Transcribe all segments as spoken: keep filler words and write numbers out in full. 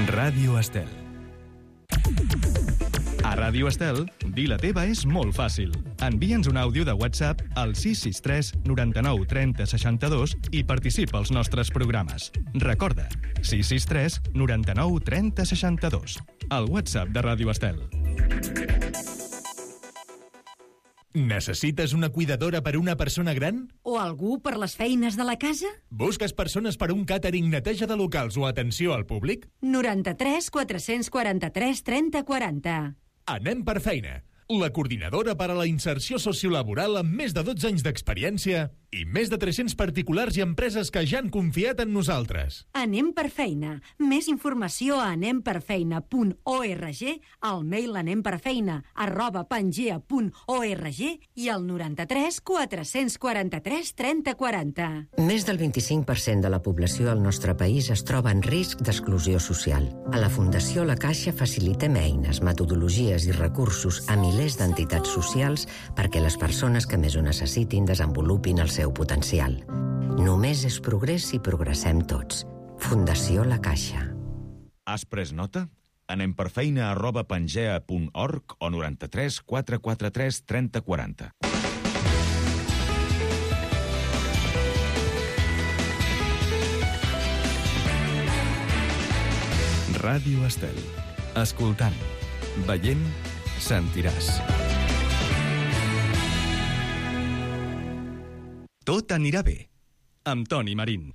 Ràdio Estel. A Ràdio Estel, dir la teva és molt fàcil. Envia'ns un àudio de WhatsApp al sis sis tres noranta-nou trenta seixanta-dos i participa als nostres programes. Recorda, sis sis tres noranta-nou trenta seixanta-dos. El WhatsApp de Ràdio Estel. Necessites una cuidadora per una persona gran? O algú per les feines de la casa? Busques persones per un càtering, neteja de locals o atenció al públic? noranta-tres quatre-cents quaranta-tres trenta quaranta. Anem per feina. La coordinadora per a la inserció sociolaboral amb més de dotze anys d'experiència i més de tres-cents particulars i empreses que ja han confiat en nosaltres. Anem per feina. Més informació a anem per feina punt org, al mail anemperfeina arroba pangea punt org i al noranta-tres quatre-cents quaranta-tres trenta quaranta. Més del vint-i-cinc per cent de la població al nostre país es troba en risc d'exclusió social. A la Fundació La Caixa facilitem eines, metodologies i recursos a milers d'entitats socials perquè les persones que més ho necessitin desenvolupin el seu potencial. Només és progrés si progressem tots. Fundació La Caixa. Has pres nota? Anem per feina arroba pangea punt org o noranta-tres quatre quaranta-tres trenta quaranta. Ràdio Estel. Escoltant, veient, sentiràs. Tot anirà bé, amb Toni Marín.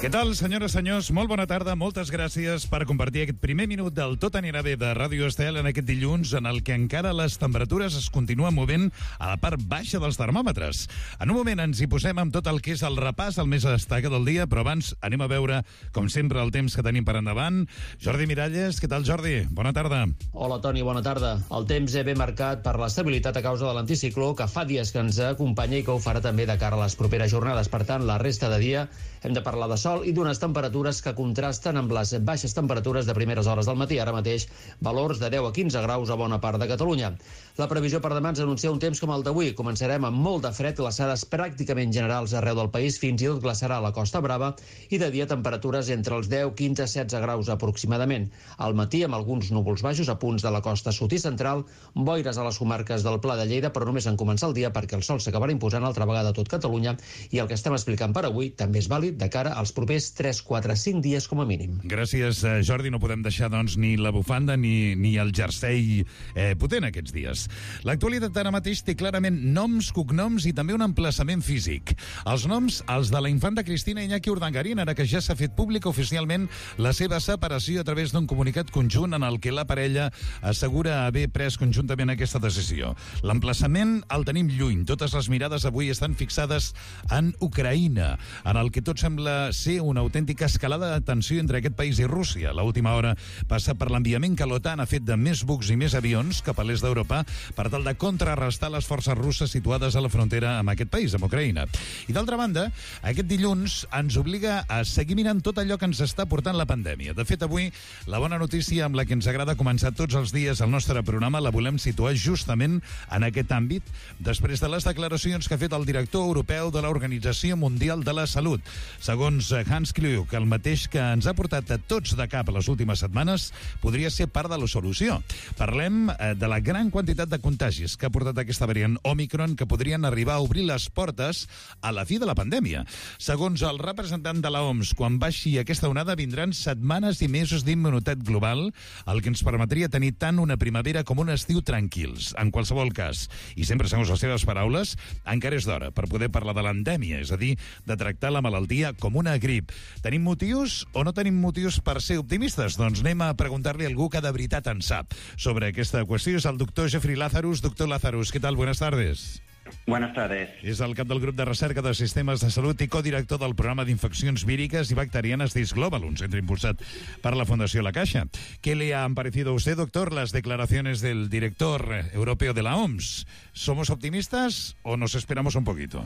Què tal, senyores i senyors? Molt bona tarda, moltes gràcies per compartir aquest primer minut del Tot anirà bé de Ràdio Estel en aquest dilluns en el que encara les temperatures es continuen movent a la part baixa dels termòmetres. En un moment ens hi posem amb tot el que és el repàs, el més destacat del dia, però abans anem a veure, com sempre, el temps que tenim per endavant. Jordi Miralles, què tal, Jordi? Bona tarda. Hola, Toni, bona tarda. El temps és ben marcat per l'estabilitat a causa de l'anticicló, que fa dies que ens acompanya i que ho farà també de cara a les properes jornades. Per tant, la resta de dia hem de parlar de sol i d'unes temperatures que contrasten amb les baixes temperatures de primeres hores del matí. Ara mateix, valors de deu a quinze graus a bona part de Catalunya. La previsió per demà ens anuncia un temps com el d'avui. Començarem amb molt de fred, glaçades pràcticament generals arreu del país, fins i tot glaçarà a la Costa Brava, i de dia temperatures entre els deu, quinze, setze graus aproximadament. Al matí, amb alguns núvols baixos a punts de la costa sud i central, boires a les comarques del Pla de Lleida, però només en començar el dia perquè el sol s'acabarà imposant altra vegada a tot Catalunya, i el que estem explicant per avui també és vàlid de cara als propers tres, quatre, cinc dies com a mínim. Gràcies, Jordi. No podem deixar, doncs, ni la bufanda ni, ni el jersei eh, potent aquests dies. L'actualitat ara mateix té clarament noms, cognoms i també un emplaçament físic. Els noms, els de la infanta Cristina Iñaki Urdangarín, ara que ja s'ha fet pública oficialment la seva separació a través d'un comunicat conjunt en el que la parella assegura haver pres conjuntament aquesta decisió. L'emplaçament el tenim lluny. Totes les mirades avui estan fixades en Ucraïna, en el que tot sembla ser una autèntica escalada de tensió entre aquest país i Rússia. L'última hora passa per l'enviament que l'OTAN ha fet de més bucs i més avions cap a l'est d'Europa per tal de contrarrestar les forces russes situades a la frontera amb aquest país, amb Ucraïna. I d'altra banda, aquest dilluns ens obliga a seguir mirant tot allò que ens està portant la pandèmia. De fet, avui, la bona notícia amb la que ens agrada començar tots els dies el nostre programa la volem situar justament en aquest àmbit, després de les declaracions que ha fet el director europeu de l'Organització Mundial de la Salut. Segons Hans Kluge, el mateix que ens ha portat a tots de cap a les últimes setmanes, podria ser part de la solució. Parlem de la gran quantitat de contagis que ha portat aquesta variant Omicron, que podrien arribar a obrir les portes a la fi de la pandèmia. Segons el representant de la O M S, quan baixi aquesta onada vindran setmanes i mesos d'immunitat global, el que ens permetria tenir tant una primavera com un estiu tranquils. En qualsevol cas, i sempre segons les seves paraules, encara és d'hora per poder parlar de l'endèmia, és a dir, de tractar la malaltia com una grip. Tenim motius o no tenim motius per ser optimistes? Doncs anem a preguntar-li a algú que de veritat en sap sobre aquesta qüestió. És el doctor Jeffrey Lazarus. Doctor Lazarus, ¿qué tal? Buenas tardes. Buenas tardes. És el cap del grup de recerca de sistemes de salut i codirector del programa d'infeccions víriques y bacterianas d'I S Global, un centre impulsat per la Fundació La Caixa. ¿Qué le han parecido a usted, doctor, las declaraciones del director europeo de la O M S? ¿Somos optimistas o nos esperamos un poquito?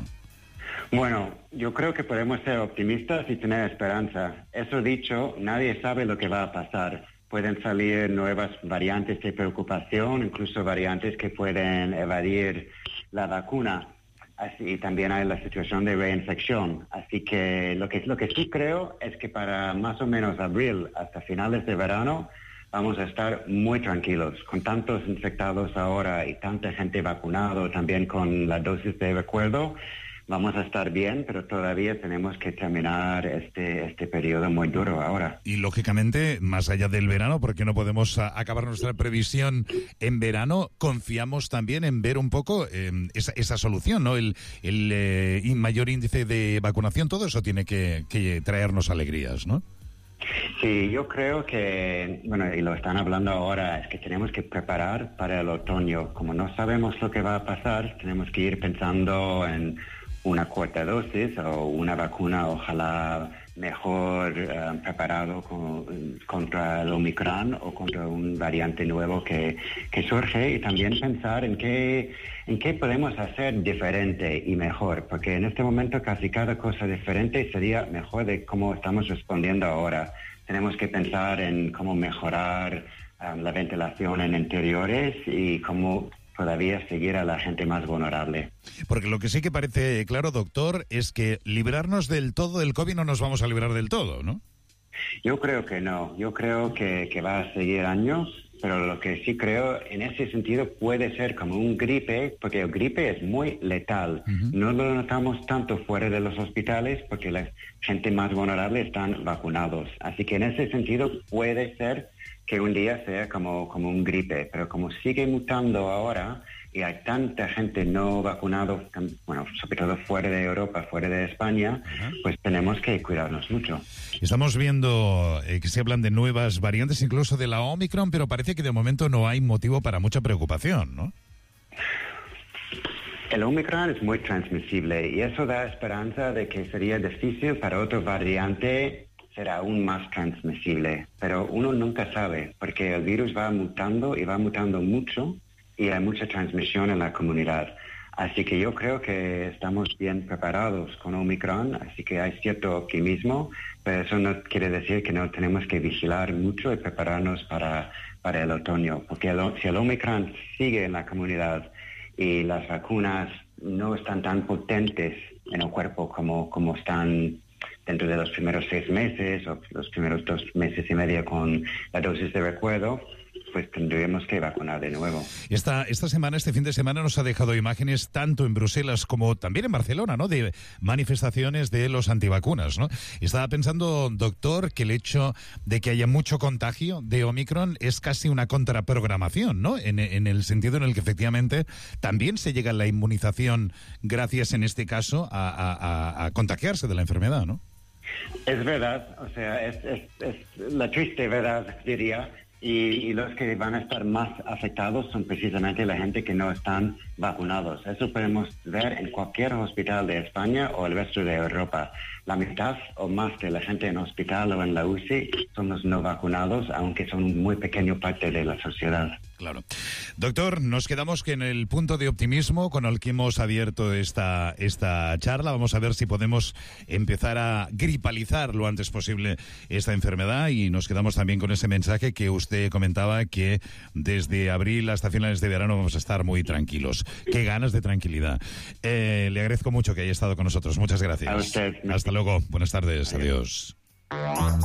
Bueno, yo creo que podemos ser optimistas y tener esperanza. Eso dicho, nadie sabe lo que va a pasar. Pueden salir nuevas variantes de preocupación, incluso variantes que pueden evadir la vacuna. Así, y también hay la situación de reinfección. Así que lo que lo que sí creo es que para más o menos abril, hasta finales de verano, vamos a estar muy tranquilos. Con tantos infectados ahora y tanta gente vacunada, también con la dosis de recuerdo, vamos a estar bien, pero todavía tenemos que terminar este, este periodo muy duro ahora. Y, lógicamente, más allá del verano, porque no podemos a, acabar nuestra previsión en verano, confiamos también en ver un poco eh, esa, esa solución, ¿no? El, el eh, mayor índice de vacunación, todo eso tiene que, que traernos alegrías, ¿no? Sí, yo creo que, bueno, y lo están hablando ahora, es que tenemos que preparar para el otoño. Como no sabemos lo que va a pasar, tenemos que ir pensando en una cuarta dosis o una vacuna, ojalá mejor uh, preparado con, contra el Omicron o contra un variante nuevo que, que surge, y también pensar en qué, en qué podemos hacer diferente y mejor, porque en este momento casi cada cosa diferente sería mejor de cómo estamos respondiendo ahora. Tenemos que pensar en cómo mejorar um, la ventilación en interiores y cómo todavía seguir a la gente más vulnerable. Porque lo que sí que parece claro, doctor, es que librarnos del todo del COVID no nos vamos a librar del todo, ¿no? Yo creo que no. Yo creo que, que va a seguir años, pero lo que sí creo en ese sentido puede ser como un gripe, porque el gripe es muy letal. Uh-huh. No lo notamos tanto fuera de los hospitales porque la gente más vulnerable están vacunados. Así que en ese sentido puede ser que un día sea como, como un gripe, pero como sigue mutando ahora y hay tanta gente no vacunada, bueno, sobre todo fuera de Europa, fuera de España, uh-huh, pues tenemos que cuidarnos mucho. Estamos viendo eh, que se hablan de nuevas variantes, incluso de la Omicron, pero parece que de momento no hay motivo para mucha preocupación, ¿no? El Omicron es muy transmisible y eso da esperanza de que sería difícil para otro variante será aún más transmisible, pero uno nunca sabe, porque el virus va mutando y va mutando mucho y hay mucha transmisión en la comunidad. Así que yo creo que estamos bien preparados con Omicron, así que hay cierto optimismo, pero eso no quiere decir que no tenemos que vigilar mucho y prepararnos para, para el otoño, porque el, si el Omicron sigue en la comunidad y las vacunas no están tan potentes en el cuerpo como, como están dentro de los primeros seis meses o los primeros dos meses y medio con la dosis de recuerdo, pues tendríamos que vacunar de nuevo. Esta, esta semana, este fin de semana, nos ha dejado imágenes tanto en Bruselas como también en Barcelona, ¿no?, de manifestaciones de los antivacunas, ¿no? Estaba pensando, doctor, que el hecho de que haya mucho contagio de Omicron es casi una contraprogramación, ¿no? En, en el sentido en el que efectivamente también se llega a la inmunización gracias, en este caso, a, a, a contagiarse de la enfermedad, ¿no? Es verdad, o sea, es, es, es la triste verdad, diría. Y, y los que van a estar más afectados son precisamente la gente que no están vacunados. Eso podemos ver en cualquier hospital de España o el resto de Europa. La mitad o más de la gente en hospital o en la U C I son los no vacunados, aunque son un muy pequeño parte de la sociedad. Claro. Doctor, nos quedamos que en el punto de optimismo con el que hemos abierto esta, esta charla. Vamos a ver si podemos empezar a gripalizar lo antes posible esta enfermedad, y nos quedamos también con ese mensaje que usted comentaba, que desde abril hasta finales de verano vamos a estar muy tranquilos. Qué ganas de tranquilidad. Eh, le agradezco mucho que haya estado con nosotros. Muchas gracias. A usted. Hasta luego. Buenas tardes. Adiós. Adiós.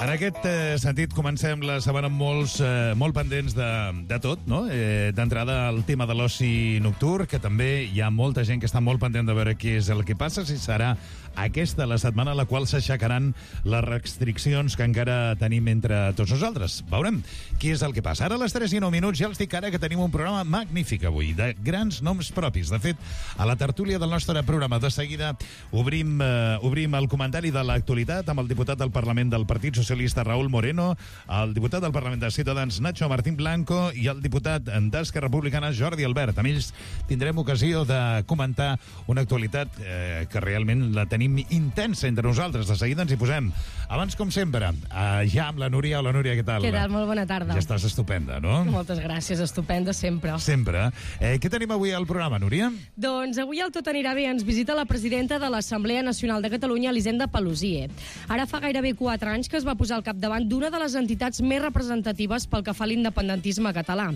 En aquest eh, sentit, comencem la setmana amb molts, eh, molt pendents de, de tot, no? Eh, D'entrada, el tema de l'oci nocturn, que també hi ha molta gent que està molt pendent de veure què és el que passa, si serà aquesta la setmana a la qual s'aixecaran les restriccions que encara tenim entre tots nosaltres. Veurem què és el que passa. Ara a les tres i nou minuts ja els dic ara que tenim un programa magnífic avui, de grans noms propis. De fet, a la tertúlia del nostre programa de seguida obrim, eh, obrim el comentari de l'actualitat amb el diputat del Parlament del Partit Socialista Raúl Moreno, el diputat del Parlament de Ciutadans Nacho Martín Blanco i el diputat d'Esquerra Republicana Jordi Albert. Amb ells tindrem ocasió de comentar una actualitat eh, que realment la tenim intensa entre nosaltres. De seguida ens hi posem. Abans, com sempre, eh, ja amb la Núria. Hola, Núria, què tal? Què tal? Molt bona tarda. Ja estàs estupenda, no? Moltes gràcies, estupenda sempre. Sempre. Eh, què tenim avui al programa, Núria? Doncs avui el Tot anirà bé ens visita la presidenta de l'Assemblea Nacional de Catalunya, Elisenda Paluzie. Ara fa gairebé quatre anys que es va posar al capdavant d'una de les entitats més representatives pel que fa a l'independentisme català.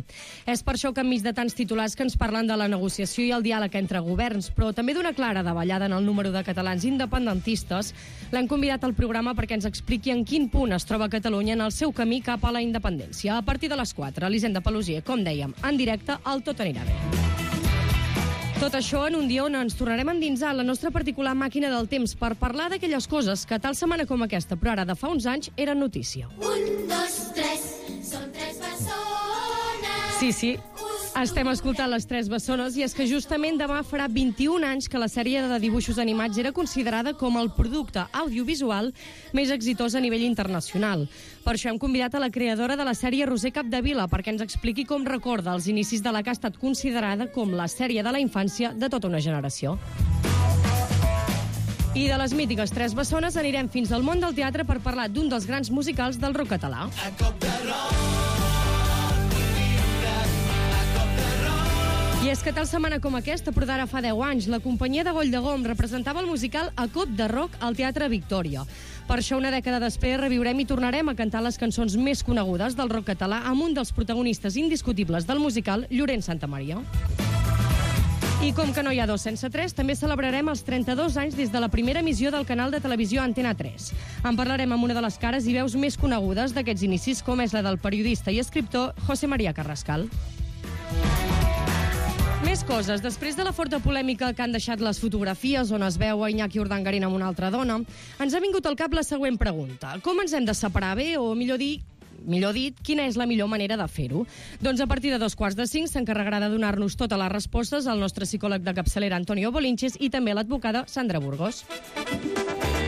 És per això que enmig de tants titulars que ens parlen de la negociació i el diàleg entre governs, però també d'una clara davallada en el número de catalans independentistes, l'han convidat al programa perquè ens expliqui en quin punt es troba Catalunya en el seu camí cap a la independència. A partir de les quatre, l'Hisenda Pelusier, com dèiem, en directe al Tot anirà bé. Tot això en un dia on ens tornarem a endinsar la nostra particular màquina del temps per parlar d'aquelles coses que tal setmana com aquesta, però ara de fa uns anys, eren notícia. Un, dos, tres, són tres bessones. Sí, sí, estem escoltant les tres bessones i és que justament demà farà vint-i-un anys que la sèrie de dibuixos animats era considerada com el producte audiovisual més exitós a nivell internacional. Per això hem convidat a la creadora de la sèrie, Roser Capdevila, perquè ens expliqui com recorda els inicis de la que ha estat considerada com la sèrie de la infància de tota una generació. I de les mítiques tres bessones anirem fins al món del teatre per parlar d'un dels grans musicals del rock català. A cop de rock. I és que tal setmana com aquesta, però d'ara fa deu anys, la companyia de Goll de Gom representava el musical A Cop de Rock al Teatre Victòria. Per això, una dècada després, reviurem i tornarem a cantar les cançons més conegudes del rock català amb un dels protagonistes indiscutibles del musical, Llorenç Santamaria. I com que no hi ha dos sense tres, també celebrarem els trenta-dos anys des de la primera emissió del canal de televisió Antena tres. En parlarem amb una de les cares i veus més conegudes d'aquests inicis, com és la del periodista i escriptor José María Carrascal. Més coses. Després de la forta polèmica que han deixat les fotografies on es veu a Iñaki Urdangarín amb una altra dona, ens ha vingut al cap la següent pregunta. Com ens hem de separar bé, o millor dir, millor dit, quina és la millor manera de fer-ho? Doncs a partir de dos quarts de cinc s'encarregarà de donar-nos totes les respostes el nostre psicòleg de capçalera Antonio Bolinches i també l'advocada Sandra Burgos.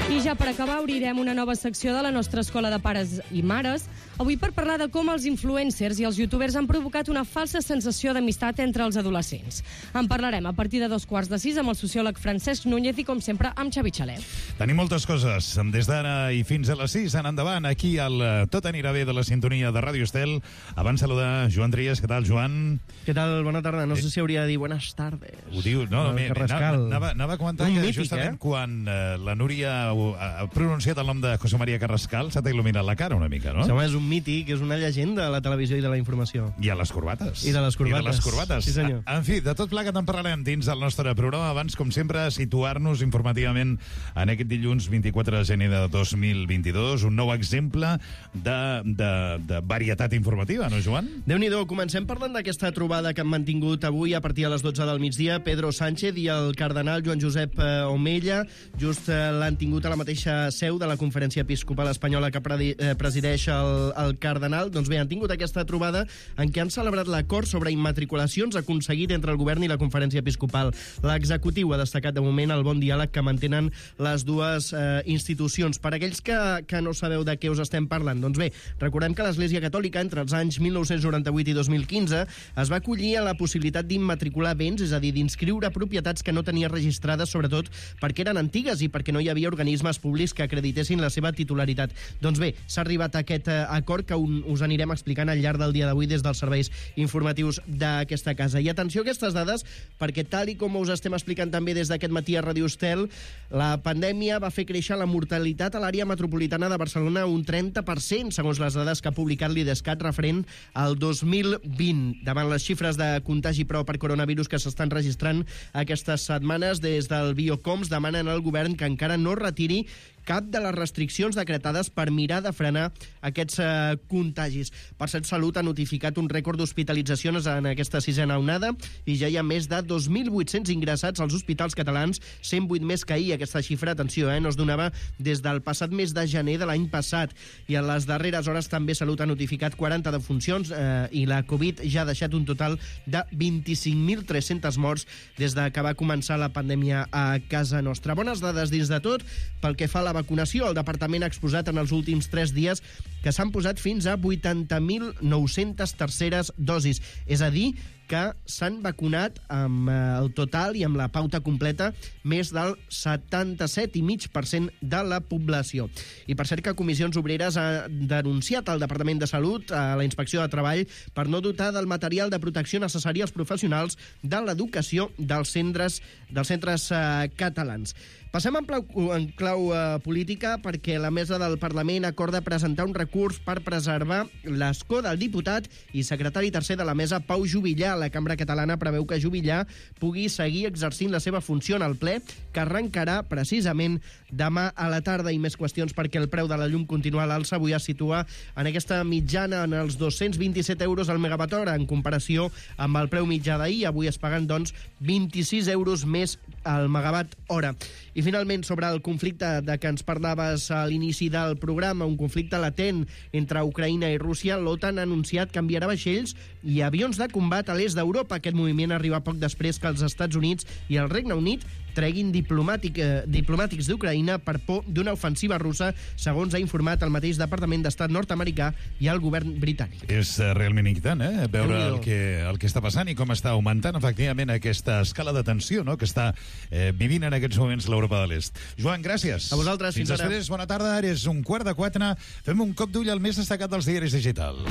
I ja per acabar obrirem una nova secció de la nostra escola de pares i mares, avui per parlar de com els influencers i els youtubers han provocat una falsa sensació d'amistat entre els adolescents. En parlarem a partir de dos quarts de sis amb el sociòleg Francesc Núñez i, com sempre, amb Xavi Xalet. Tenim moltes coses. Des d'ara i fins a les sis, en endavant, aquí al Tot anirà bé de la sintonia de Ràdio Estel. Abans saludar Joan Trias. Què tal, Joan? Què tal? Bona tarda. No sé si hauria de dir buenas tardes. Ho diu, no, no, me, anava, anava a comentar un que mític, justament eh? quan uh, la Núria ha pronunciat el nom de José María Carrascal s'ha il·luminat la cara una mica, no? Això és un mític, és una llegenda de la televisió i de la informació. I a les corbates. I de les corbates. I de les corbates. Sí, senyor. En fi, de tot plegat en parlarem dins del nostre programa. Abans, com sempre, situar-nos informativament en aquest dilluns vint-i-quatre de gener de dos mil vint-i-dos, un nou exemple de, de, de varietat informativa, no, Joan? Déu-n'hi-do, comencem parlant d'aquesta trobada que han mantingut avui a partir de les dotze del migdia Pedro Sánchez i el cardenal Joan Josep Omella. Just eh, l'han tingut a la mateixa seu de la Conferència Episcopal Espanyola que presideix el, el cardenal. Doncs bé, han tingut aquesta trobada en què han celebrat l'acord sobre immatriculacions aconseguit entre el govern i la Conferència Episcopal. L'executiu ha destacat de moment el bon diàleg que mantenen les dues eh, institucions. Per aquells que, que no sabeu de què us estem parlant, doncs bé, recordem que l'Església Catòlica entre els anys mil nou-cents noranta-vuit i dos mil quinze es va acollir a la possibilitat d'immatricular béns, és a dir, d'inscriure propietats que no tenia registrades, sobretot perquè eren antigues i perquè no hi havia organismes públics que acreditessin la seva titularitat. Doncs bé, s'ha arribat a aquest eh, acord que un, us anirem explicant al llarg del dia d'avui des dels serveis informatius d'aquesta casa. I atenció a aquestes dades, perquè tal i com us estem explicant també des d'aquest matí a Ràdio Estel, la pandèmia va fer créixer la mortalitat a l'àrea metropolitana de Barcelona un trenta per cent, segons les dades que ha publicat l'IDESCAT referent al dos mil vint. Davant les xifres de contagi prou per coronavirus que s'estan registrant aquestes setmanes, des del Biocoms demanen al govern que encara no retiri cap de les restriccions decretades per mirar de frenar aquests eh, contagis. Per cert, Salut ha notificat un rècord d'hospitalitzacions en aquesta sisena onada i ja hi ha més de dos mil vuit-cents ingressats als hospitals catalans, cent vuit més que ahir. Aquesta xifra, atenció, eh, no es donava des del passat mes de gener de l'any passat. I en les darreres hores també Salut ha notificat quaranta defuncions eh, i la Covid ja ha deixat un total de vint-i-cinc mil tres-cents morts des de que va començar la pandèmia a casa nostra. Bones dades dins de tot. Pel que fa a la vacunació, el departament ha exposat en els últims tres dies que s'han posat fins a vuitanta mil nou-centes terceres dosis. És a dir, que s'han vacunat amb el total i amb la pauta completa més del setanta-set coma cinc per cent de la població. I per cert que Comissions Obreres ha denunciat al Departament de Salut, a la Inspecció de Treball, per no dotar del material de protecció necessari als professionals de l'educació dels centres, dels centres eh, catalans. Passem en clau, en clau uh, política perquè la mesa del Parlament acorda presentar un recurs per preservar l'escó del diputat i secretari tercer de la mesa, Pau Juvillà. La Cambra Catalana preveu que Juvillà pugui seguir exercint la seva funció en el ple, que arrencarà precisament demà a la tarda. I més qüestions perquè el preu de la llum continua a l'alça. Avui es situa en aquesta mitjana en els dos-cents vint-i-set euros al megawatt hora en comparació amb el preu mitjà d'ahir. Avui es paguen, doncs, vint-i-sis euros més al megawatt hora. I finalment, sobre el conflicte de què ens parlaves a l'inici del programa, un conflicte latent entre Ucraïna i Rússia, l'OTAN ha anunciat que enviarà vaixells i avions de combat a l'est d'Europa. Aquest moviment arriba poc després que els Estats Units i el Regne Unit treguin diplomàtic, eh, diplomàtics d'Ucraïna per por d'una ofensiva russa, segons ha informat el mateix Departament d'Estat nord-americà i el govern britànic. És uh, realment inquietant, eh? Veure el que, el que està passant i com està augmentant, efectivament, aquesta escala de tensió, no?, que està eh, vivint en aquests moments l'Europa de l'Est. Joan, gràcies. A vosaltres, fins, fins ara. Després, bona tarda, ara és un quart de quatre. Fem un cop d'ull al més destacat dels diaris digitals.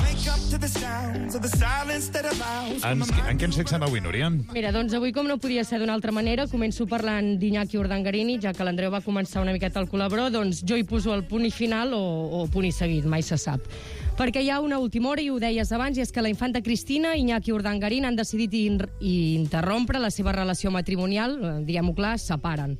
En, en què ens fixem avui, Núria? Mira, doncs avui, com no podia ser d'una altra manera, començo parlant d'Iñaki Urdangarín, ja que l'Andreu va començar una miqueta el col·laborador, doncs jo hi poso el punt i final o, o punt i seguit, mai se sap. Perquè hi ha una última hora, i ho deies abans, i és que la infanta Cristina i Iñaki Urdangarín han decidit in interrompre la seva relació matrimonial, diguem-ho clar, es separen.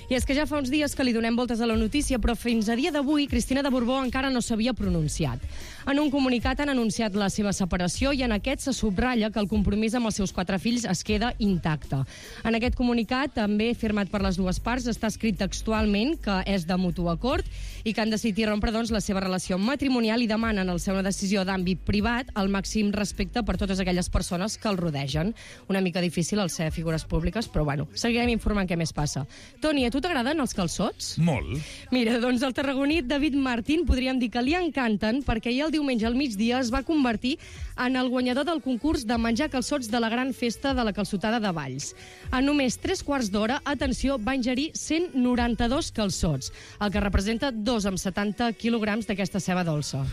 I és que ja fa uns dies que li donem voltes a la notícia, però fins a dia d'avui Cristina de Borbó encara no s'havia pronunciat. En un comunicat han anunciat la seva separació i en aquest se subratlla que el compromís amb els seus quatre fills es queda intacte. En aquest comunicat, també firmat per les dues parts, està escrit textualment que és de mutu acord i que han decidit rompre, doncs, la seva relació matrimonial i demanen, al ser una decisió d'àmbit privat, el màxim respecte per totes aquelles persones que el rodegen. Una mica difícil al ser figures públiques, però bueno, seguirem informant què més passa. Toni, a tu t'agraden els calçots? Molt. Mira, doncs el tarragoní David Martín podríem dir que li encanten perquè ahir el diumenge al migdia es va convertir en el guanyador del concurs de menjar calçots de la gran festa de la calçotada de Valls. En només tres quarts d'hora, atenció, va ingerir cent noranta-dos calçots, el que representa dos amb setanta quilograms d'aquesta ceba dolça.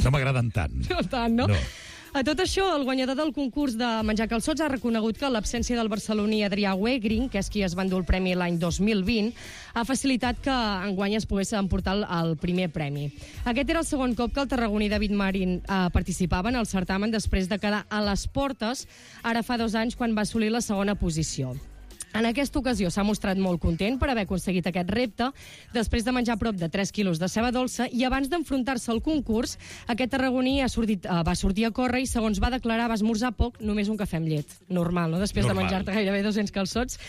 No m'agraden tant. No tant, no? No. A tot això, el guanyador del concurs de menjar calçots ha reconegut que l'absència del barceloní Adrià Wegring, que és qui es va endur el premi l'any dos mil vint, ha facilitat que enguany es pogués emportar el, el primer premi. Aquest era el segon cop que el tarragoní David Marín eh, participava en el certamen després de quedar a les portes, ara fa dos anys, quan va assolir la segona posició. En aquesta ocasió s'ha mostrat molt content per haver aconseguit aquest repte, després de menjar prop de tres quilos de ceba dolça, i abans d'enfrontar-se al concurs, aquest tarragoní ha sortit, uh, va sortir a córrer i, segons va declarar, va esmorzar poc, només un cafè amb llet. Normal, no?, després Normal. de menjar-te gairebé dos-cents calçots.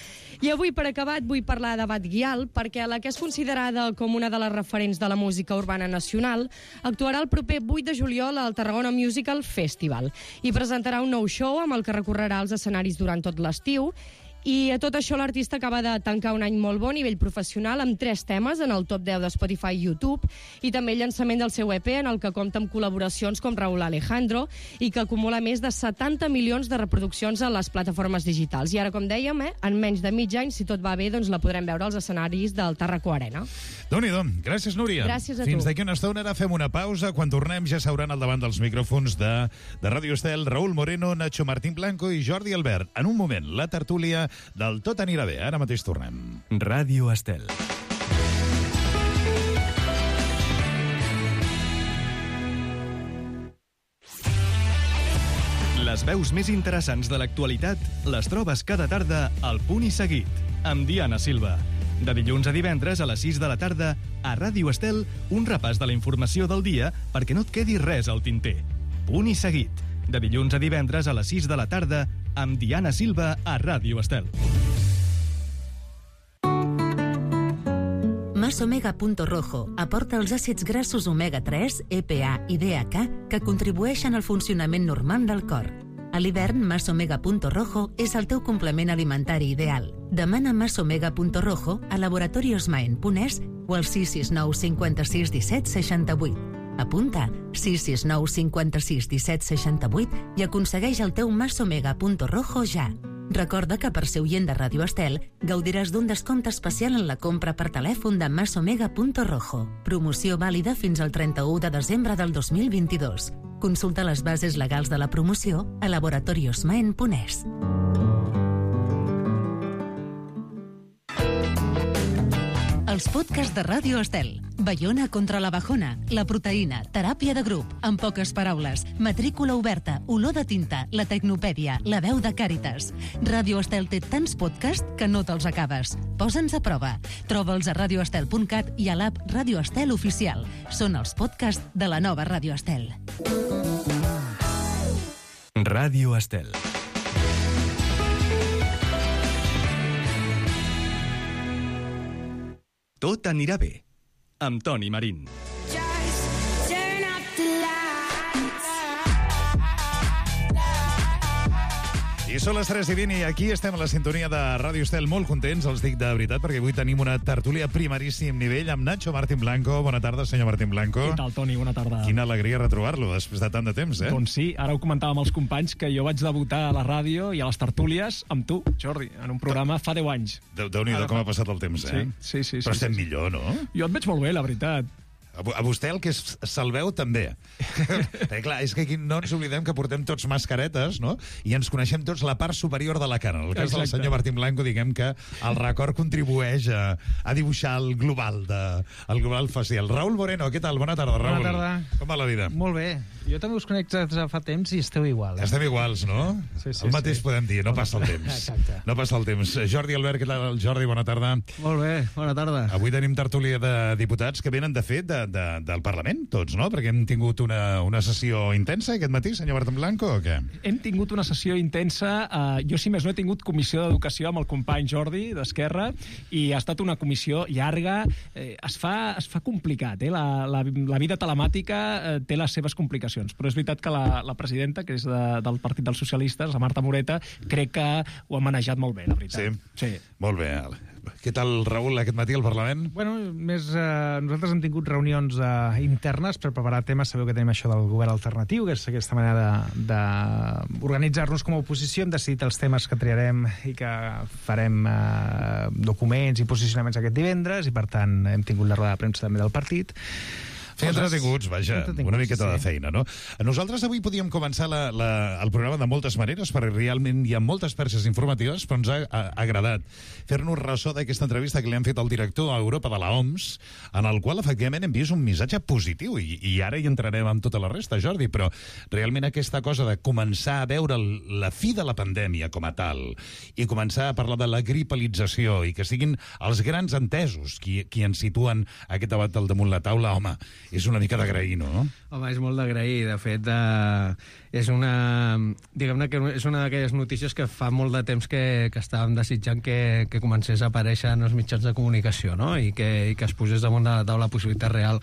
I avui, per acabat, vull parlar de Batguial, perquè la que és considerada com una de les referents de la música urbana nacional actuarà el proper vuit de juliol al Tarragona Musical Festival i presentarà un nou show amb el que recorrerà els escenaris durant tot l'estiu. I a tot això l'artista acaba de tancar un any molt bo a nivell professional amb tres temes en el top deu de Spotify i YouTube i també el llançament del seu E P en el que compta amb col·laboracions com Raúl Alejandro i que acumula més de setanta milions de reproduccions a les plataformes digitals. I ara, com dèiem, eh, en menys de mig any, si tot va bé, doncs la podrem veure als escenaris del Tarraco Arena. Déu-n'hi-do. Gràcies, Núria. Gràcies a tu. Fins d'aquí una estona ara fem una pausa. Quan tornem ja s'hauran al davant dels micròfons de, de Ràdio Estel Raúl Moreno, Nacho Martín Blanco i Jordi Albert. En un moment, la tertúlia del Tot anirà bé. Ara mateix tornem. Ràdio Estel. Les veus més interessants de l'actualitat les trobes cada tarda al Punt i Seguit, amb Diana Silva. De dilluns a divendres a les sis de la tarda, a Ràdio Estel, un repàs de la informació del dia perquè no et quedi res al tinter. Punt i Seguit. De dilluns a divendres a les sis de la tarda, amb Diana Silva a Ràdio Estel. Masomega.rojo aporta els àcids grassos omega tres, E P A i D H A que contribueixen al funcionament normal del cor. A l'hivern, Masomega.rojo és el teu complement alimentari ideal. Demana Masomega.rojo a laboratoriosmaen punt es o al sis sis nou cinquanta-sis disset seixanta-vuit. Apunta sis sis nou cinquanta-sis disset seixanta-vuit i aconsegueix el teu Mas Omega Punto Rojo ja. Recorda que per ser oient de Ràdio Estel gaudiràs d'un descompte especial en la compra per telèfon de Mas Omega Punto Rojo. Promoció vàlida fins al trenta-u de desembre del dos mil vint-i-dos. Consulta les bases legals de la promoció a laboratoriosmaen punt es. Els podcasts de Ràdio Estel. Baiona contra la bajona, la proteïna, teràpia de grup, en poques paraules, matrícula oberta, olor de tinta, la tecnopèdia, la veu de Càritas. Ràdio Estel té tants podcasts que no te'ls acabes. Posa'ns a prova. Troba'ls a radioestel punt cat i a l'app Ràdio Estel Oficial. Són els podcasts de la nova Ràdio Estel. Ràdio Estel. Tot anirà bé, amb Toni Marín. I són les tres i vint i aquí estem a la sintonia de Ràdio Estel, molt contents, els dic de veritat, perquè avui tenim una tertúlia primeríssim nivell amb Nacho Martín Blanco. Bona tarda, senyor Martín Blanco. Què tal, Toni? Bona tarda. Quina alegria retrobar-lo després de tant de temps, eh? Doncs sí, ara ho comentàvem els companys que jo vaig debutar a la ràdio i a les tertúlies amb tu, Jordi, en un programa fa deu anys. Déu-n'hi-do com ha passat el temps, eh? Sí, sí, sí. Però sí, estem sí. millor, no? Jo et veig molt bé, la veritat. A vostè el que se'l veu també. Perquè, clar, és que aquí no ens oblidem que portem tots mascaretes, no? I ens coneixem tots la part superior de la cara. En el cas Exacte. del senyor Martín Blanco, diguem que el record contribueix a, a dibuixar el global, de, el global facial. Raül Moreno, què tal? Bona tarda, Raül. Bona tarda. Com va la vida? Molt bé. Jo també us conec des de fa temps i esteu igual. Eh? Estem iguals, no? Sí, sí, el mateix sí. podem dir, no passa el temps. Exacte. No passa el temps. Jordi Albert, què tal? Jordi, bona tarda. Molt bé, bona tarda. Avui tenim tertúlia de diputats que venen, de fet, de, de, del Parlament, tots, no? Perquè hem tingut una, una sessió intensa aquest matí, senyor Martín Blanco, o què? Hem tingut una sessió intensa. Uh, jo, si més no, he tingut comissió d'educació amb el company Jordi, d'Esquerra, i ha estat una comissió llarga. Eh, es, fa, es fa complicat, eh? La, la, la vida telemàtica eh, té les seves complicacions, però és veritat que la, la presidenta, que és de, del Partit dels Socialistes, la Marta Moreta, crec que ho ha manejat molt bé, la veritat. Sí? Sí. Molt bé. Què tal, Raül, aquest matí al Parlament? Bueno, més, eh, nosaltres hem tingut reunions eh, internes per preparar temes. Sabeu que tenim això del govern alternatiu, que és aquesta manera d'organitzar-nos com a oposició. Hem decidit els temes que triarem i que farem eh, documents i posicionaments aquest divendres, i per tant hem tingut la roda de premsa també del partit. Fer entretinguts, vaja, entretinguts, una miqueta sí. de feina, no? Nosaltres avui podíem començar la, la, el programa de moltes maneres, perquè realment hi ha moltes perxes informatives, però ens ha, ha agradat fer-nos ressò d'aquesta entrevista que li han fet al director a Europa de la O M S, en el qual, efectivament, hem vist un missatge positiu, i, i ara hi entrarem amb tota la resta, Jordi, però realment aquesta cosa de començar a veure la fi de la pandèmia com a tal, i començar a parlar de la gripalització, i que siguin els grans entesos qui, qui ens situen aquest debat al damunt la taula, home, és una mica d'agrair, no? Home, és molt d'agrair. De fet, eh, és una... Diguem-ne que és una d'aquelles notícies que fa molt de temps que, que estàvem desitjant que, que comencés a aparèixer en els mitjans de comunicació, no? I que, i que es posés damunt de la taula la possibilitat real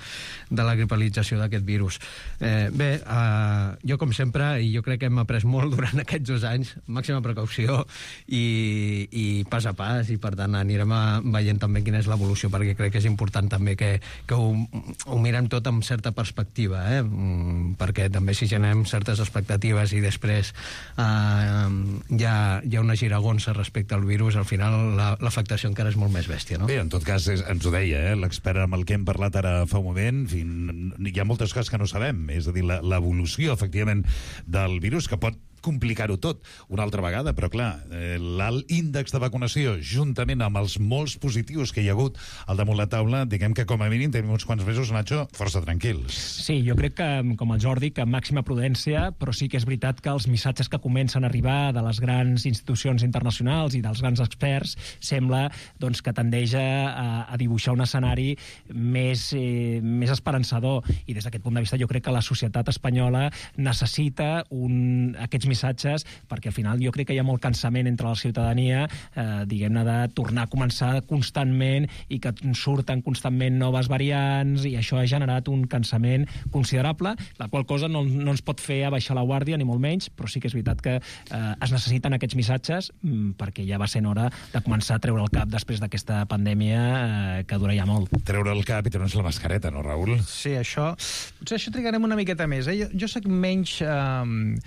de la gripalització d'aquest virus. Eh, bé, eh, jo, com sempre, i jo crec que hem après molt durant aquests dos anys, màxima precaució i, i pas a pas, i per tant anirem a, veient també quina és l'evolució, perquè crec que és important també que, que ho, ho mirem tot amb certa perspectiva, eh? Perquè també si generem certes expectatives i després eh, hi, ha, hi ha una giragonsa respecte al virus, al final l'afectació la, encara és molt més bèstia, no? Bé, en tot cas, és, ens ho deia, eh? L'expert amb el que hem parlat ara fa un moment, fin, hi ha moltes coses que no sabem, és a dir, l'evolució, efectivament, del virus, que pot complicar-ho tot una altra vegada, però clar, eh, l'alt índex de vacunació, juntament amb els molts positius que hi ha hagut al damunt la taula, diguem que com a mínim tenim uns quants mesos, Nacho, força tranquils. Sí, jo crec que, com el Jordi, que màxima prudència, però sí que és veritat que els missatges que comencen a arribar de les grans institucions internacionals i dels grans experts sembla doncs, que tendeix a, a dibuixar un escenari més, eh, més esperançador, i des d'aquest punt de vista jo crec que la societat espanyola necessita un, aquests missatges, perquè al final jo crec que hi ha molt cansament entre la ciutadania, eh, diguem-ne, de tornar a començar constantment i que surten constantment noves variants, i això ha generat un cansament considerable, la qual cosa no, no ens pot fer abaixar la guàrdia, ni molt menys, però sí que és veritat que eh, es necessiten aquests missatges mm, perquè ja va sent hora de començar a treure el cap després d'aquesta pandèmia eh, que dura ja molt. Treure el cap i treure's la mascareta, no, Raül? Sí, això... Potser això trigarem una miqueta més. Eh? Jo, jo soc menys... Eh,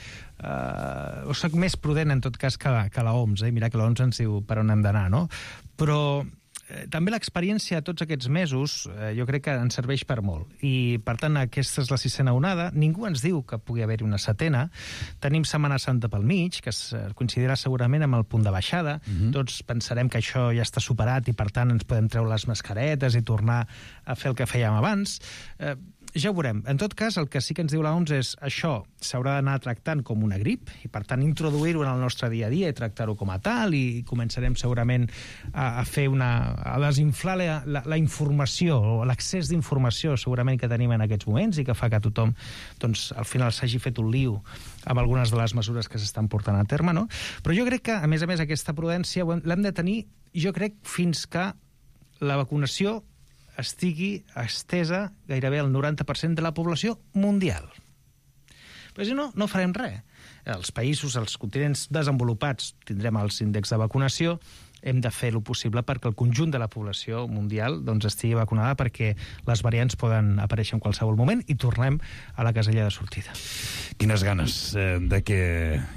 eh, o soc més prudent, en tot cas, que, que la O M S. Eh? Mira que la O M S ens diu per on hem d'anar, no? Però... també l'experiència tots aquests mesos eh, jo crec que ens serveix per molt. I, per tant, aquesta és la sisena onada. Ningú ens diu que pugui haver-hi una setena. Tenim Setmana Santa pel mig, que es coincidirà segurament amb el punt de baixada. Mm-hmm. Tots pensarem que això ja està superat i, per tant, ens podem treure les mascaretes i tornar a fer el que fèiem abans. Eh, ja ho veurem. En tot cas, el que sí que ens diu la O M S és això s'haurà d'anar tractant com una grip i, per tant, introduir-ho en el nostre dia a dia i tractar-ho com a tal, i començarem segurament a, a fer una... a desinflar la, la, la informació o l'accés d'informació segurament que tenim en aquests moments i que fa que tothom, doncs, al final s'hagi fet un lío amb algunes de les mesures que s'estan portant a terme, no? Però jo crec que, a més a més, aquesta prudència l'hem de tenir, jo crec, fins que la vacunació estigui estesa gairebé al noranta per cent de la població mundial. Però si no, no farem res. Els països, els continents desenvolupats, tindrem els índexs de vacunació, hem de fer el possible perquè el conjunt de la població mundial doncs, estigui vacunada, perquè les variants poden aparèixer en qualsevol moment i tornem a la casella de sortida. Quines ganes eh, de que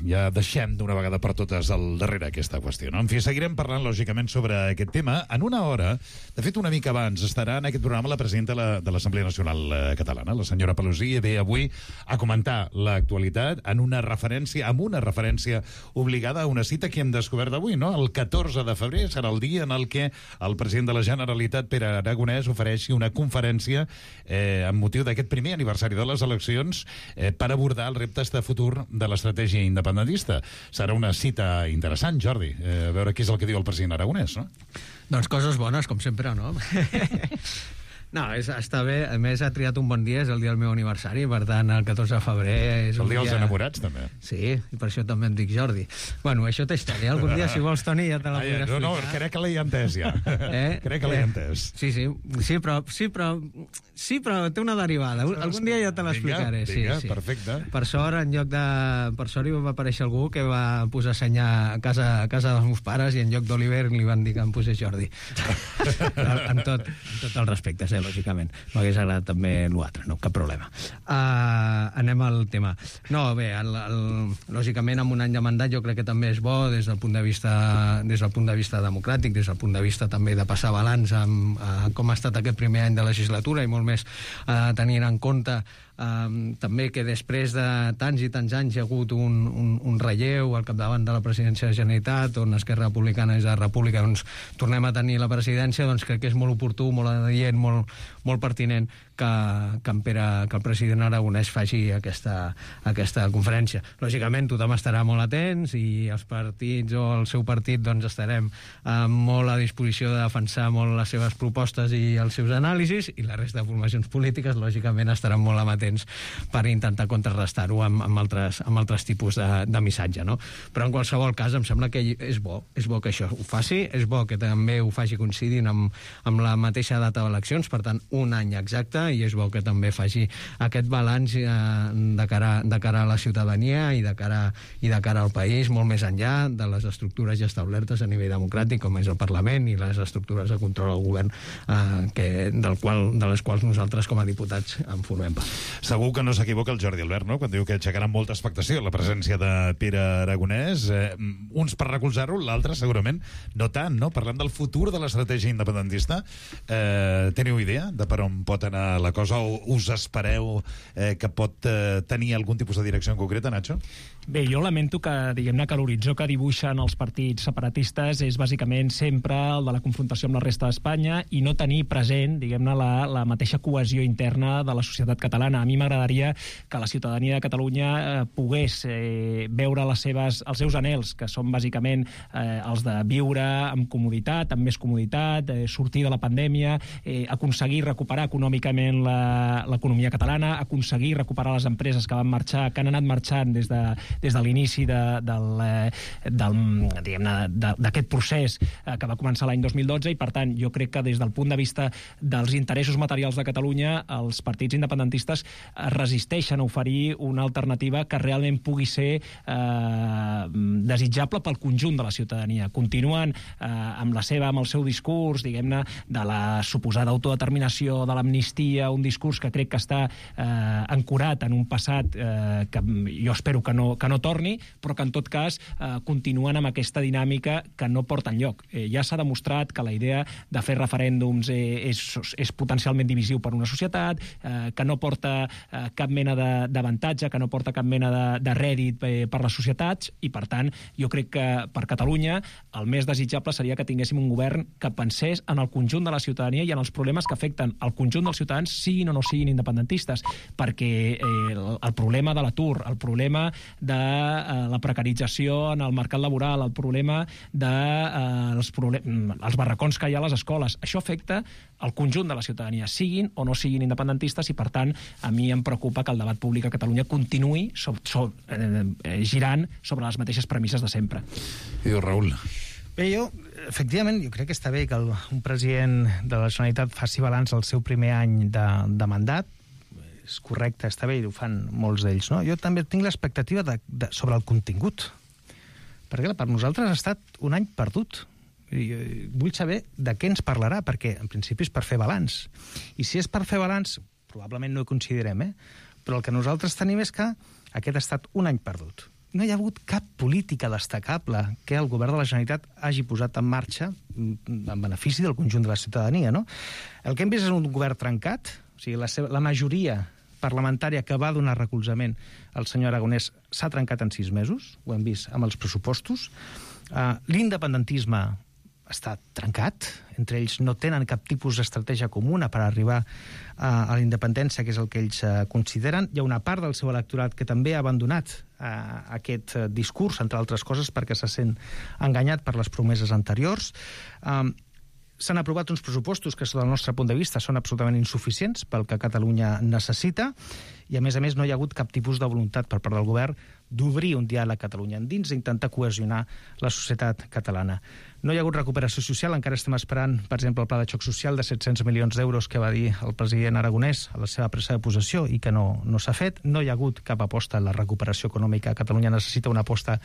ja deixem d'una vegada per totes al darrere aquesta qüestió, no? En fi, seguirem parlant, lògicament, sobre aquest tema. En una hora, de fet, una mica abans, estarà en aquest programa la presidenta de l'Assemblea Nacional Catalana, la senyora Pelosi, i ve avui a comentar l'actualitat en una referència, amb una referència obligada a una cita que hem descobert avui, no? El catorze de febrer serà el dia en el què el president de la Generalitat, Pere Aragonès, ofereixi una conferència eh, amb motiu d'aquest primer aniversari de les eleccions eh, per abordar els reptes de futur de l'estratègia independentista. Serà una cita interessant, Jordi, eh, a veure què és el que diu el president Aragonès, no? Doncs coses bones, com sempre, no? No, és, està bé. A més, ha triat un bon dia, és el dia del meu aniversari, per tant, el catorze de febrer... És el un dia dels dia... enamorats, també. Sí, i per això també em dic Jordi. Bueno, això té història. Algun dia, si vols, Toni, ja te la podré explicar. No, no, crec que l'he entès, ja. Eh? Crec que l'he entès. Sí, sí, sí, però, sí, però, sí, però té una derivada. Algun dia ja te l'explicaré. Vinga, vinga, sí, sí. Perfecte. Per sort, en lloc de... Per sort hi va aparèixer algú que va posar senyar a casa, a casa dels meus pares, i en lloc d'Oliver li van dir que em posés Jordi. amb, tot, amb tot el respecte, eh, lògicament. M'hagués agradat també l'altre, no, cap problema. Uh, anem al tema. No, bé, el, el, lògicament, amb un any de mandat jo crec que també és bo des del punt de vista, des del punt de vista democràtic, des del punt de vista també de passar balanç amb uh, com ha estat aquest primer any de legislatura, i molt més uh, tenint en compte Um, també que després de tants i tants anys hi ha hagut un, un, un relleu al capdavant de la presidència de la Generalitat, on Esquerra Republicana és la República, doncs tornem a tenir la presidència, doncs crec que és molt oportú, molt adient, molt, molt pertinent que, que, en Pere, que el president Aragonès faci aquesta, aquesta conferència. Lògicament, tothom estarà molt atents, i els partits o el seu partit doncs estarem eh, molt a disposició de defensar molt les seves propostes i els seus anàlisis, i la resta de formacions polítiques, lògicament, estaran molt amatents per intentar contrarrestar-ho amb, amb, altres, amb altres tipus de, de missatge, no? Però en qualsevol cas em sembla que és bo, és bo que això ho faci, és bo que també ho faci coincidint amb, amb la mateixa data d'eleccions, per tant, un any exacte, i és bo que també faci aquest balanç eh, de, cara, de cara a la ciutadania i de cara, i de cara al país, molt més enllà de les estructures ja establertes a nivell democràtic, com és el Parlament, i les estructures de control al govern eh, que, del qual, de les quals nosaltres com a diputats en formem part. Segur que no s'equivoca el Jordi Albert, no?, quan diu que aixecarà molta expectació la presència de Pere Aragonès. Eh, uns per recolzar-ho, l'altre segurament no tant, no? Parlant del futur de l'estratègia independentista, eh, teniu idea de per on pot anar la cosa, o us espereu eh, que pot eh, tenir algun tipus de direcció en concreta, Nacho? Bé, jo lamento que, diguem-ne, que l'horitzó que dibuixen els partits separatistes és bàsicament sempre el de la confrontació amb la resta d'Espanya i no tenir present, diguem-ne, la, la mateixa cohesió interna de la societat catalana. A mi m'agradaria que la ciutadania de Catalunya eh, pogués eh, veure les seves, els seus anhels, que són bàsicament eh, els de viure amb comoditat, amb més comoditat, eh, sortir de la pandèmia, eh, aconseguir recuperar econòmicament ràpidament l'economia catalana, aconseguir recuperar les empreses que van marxar, que han anat marxant des de, des de l'inici de, del, del, d'aquest procés que va començar l'any dos mil dotze, i per tant jo crec que des del punt de vista dels interessos materials de Catalunya, els partits independentistes resisteixen a oferir una alternativa que realment pugui ser eh, desitjable pel conjunt de la ciutadania. Continuen eh, amb la seva, amb el seu discurs, diguem-ne, de la suposada autodeterminació, de l'amnistia, un discurs que crec que està eh, ancorat en un passat eh, que jo espero que no, que no torni, però que en tot cas eh, continuen amb aquesta dinàmica que no porta enlloc. Eh, ja s'ha demostrat que la idea de fer referèndums eh, és, és potencialment divisiu per una societat, eh, que no porta eh, cap mena d'avantatge, que no porta cap mena de, de rèdit eh, per les societats, i per tant jo crec que per Catalunya el més desitjable seria que tinguéssim un govern que pensés en el conjunt de la ciutadania i en els problemes que afecten el conjunt dels ciutadans, siguin o no siguin independentistes, perquè eh, el, el problema de l'atur, el problema de eh, la precarització en el mercat laboral, el problema de eh, els, problem els barracons que hi ha a les escoles, això afecta el conjunt de la ciutadania, siguin o no siguin independentistes, i per tant a mi em preocupa que el debat públic a Catalunya continuï so, so, eh, eh, girant sobre les mateixes premisses de sempre. I diu, Raül. Bé, jo, efectivament, jo crec que està bé que el, un president de la Generalitat faci balanç al seu primer any de, de mandat. És correcte, està bé, i ho fan molts d'ells, no? Jo també tinc l'expectativa de, de, sobre el contingut, perquè per nosaltres ha estat un any perdut. I vull saber de què ens parlarà, perquè en principi és per fer balanç. I si és per fer balanç, probablement no ho considerem, eh? Però el que nosaltres tenim és que aquest ha estat un any perdut. No hi ha hagut cap política destacable que el govern de la Generalitat hagi posat en marxa en benefici del conjunt de la ciutadania, no? El que hem vist és un govern trencat, o sigui, la, seva, la majoria parlamentària que va donar recolzament al senyor Aragonès s'ha trencat en sis mesos, ho hem vist amb els pressupostos. Uh, l'independentisme està trencat, entre ells no tenen cap tipus d'estratègia comuna per arribar a, a la independència, que és el que ells uh, consideren. Hi ha una part del seu electorat que també ha abandonat uh, aquest uh, discurs, entre altres coses, perquè se sent enganyat per les promeses anteriors. Um, S'han aprovat uns pressupostos que, del nostre punt de vista, són absolutament insuficients pel que Catalunya necessita, i, a més a més, no hi ha hagut cap tipus de voluntat per part del govern d'obrir un diàleg a Catalunya endins i intentar cohesionar la societat catalana. No hi ha hagut recuperació social, encara estem esperant, per exemple, el pla de xoc social de set-cents milions d'euros que va dir el president Aragonès a la seva presa de possessió i que no, no s'ha fet. No hi ha hagut cap aposta a la recuperació econòmica. Catalunya necessita una aposta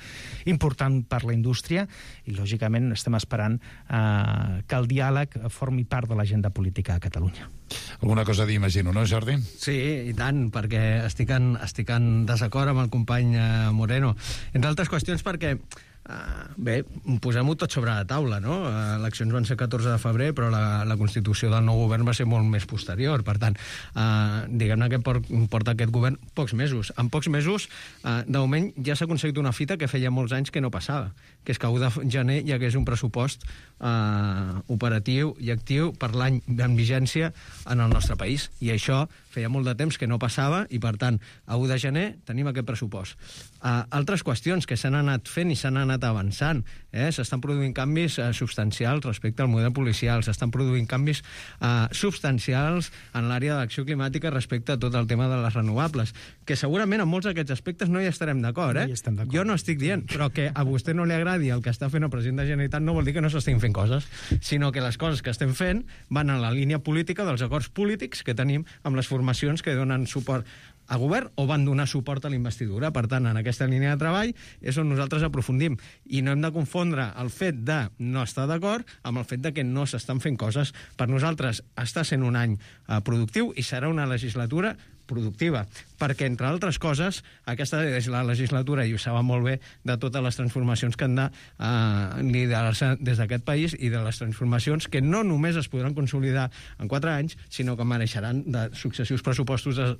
important per la indústria i, lògicament, estem esperant eh, que el diàleg formi part de l'agenda política a Catalunya. Alguna cosa a dir, imagino, no, Jordi? Sí, i tant, perquè estic en, estic en desacord amb el company eh, Moreno. Entre altres qüestions perquè Uh, bé, posem-ho tot sobre la taula, no? Uh, eleccions van ser catorze de febrer, però la, la constitució del nou govern va ser molt més posterior. Per tant, uh, diguem-ne que port, porta aquest govern pocs mesos. En pocs mesos, uh, de moment, ja s'ha aconseguit una fita que feia molts anys que no passava, que és que a u de gener hi hagués un pressupost uh, operatiu i actiu per l'any en vigència en el nostre país. I això feia molt de temps que no passava i, per tant, a u de gener tenim aquest pressupost. Uh, altres qüestions que s'han anat fent i s'han anat avançant. Eh? S'estan produint canvis eh, substancials respecte al model policial, s'estan produint canvis eh, substancials en l'àrea d'acció climàtica respecte a tot el tema de les renovables, que segurament en molts d'aquests aspectes no hi estarem d'acord. Eh? No jo no estic dient, però que a vostè no li agradi el que està fent el president de la Generalitat no vol dir que no s'estiguin fent coses, sinó que les coses que estem fent van en la línia política dels acords polítics que tenim amb les formacions que donen suport a govern o van donar suport a la investidura. Per tant, en aquesta línia de treball és on nosaltres aprofundim. I no hem de confondre el fet de no estar d'acord amb el fet de que no s'estan fent coses. Per nosaltres està sent un any eh, productiu i serà una legislatura productiva, perquè, entre altres coses, aquesta és la legislatura, i ho saben molt bé, de totes les transformacions que han de eh, liderar-se des d'aquest país i de les transformacions que no només es podran consolidar en quatre anys, sinó que mereixeran de successius pressupostos de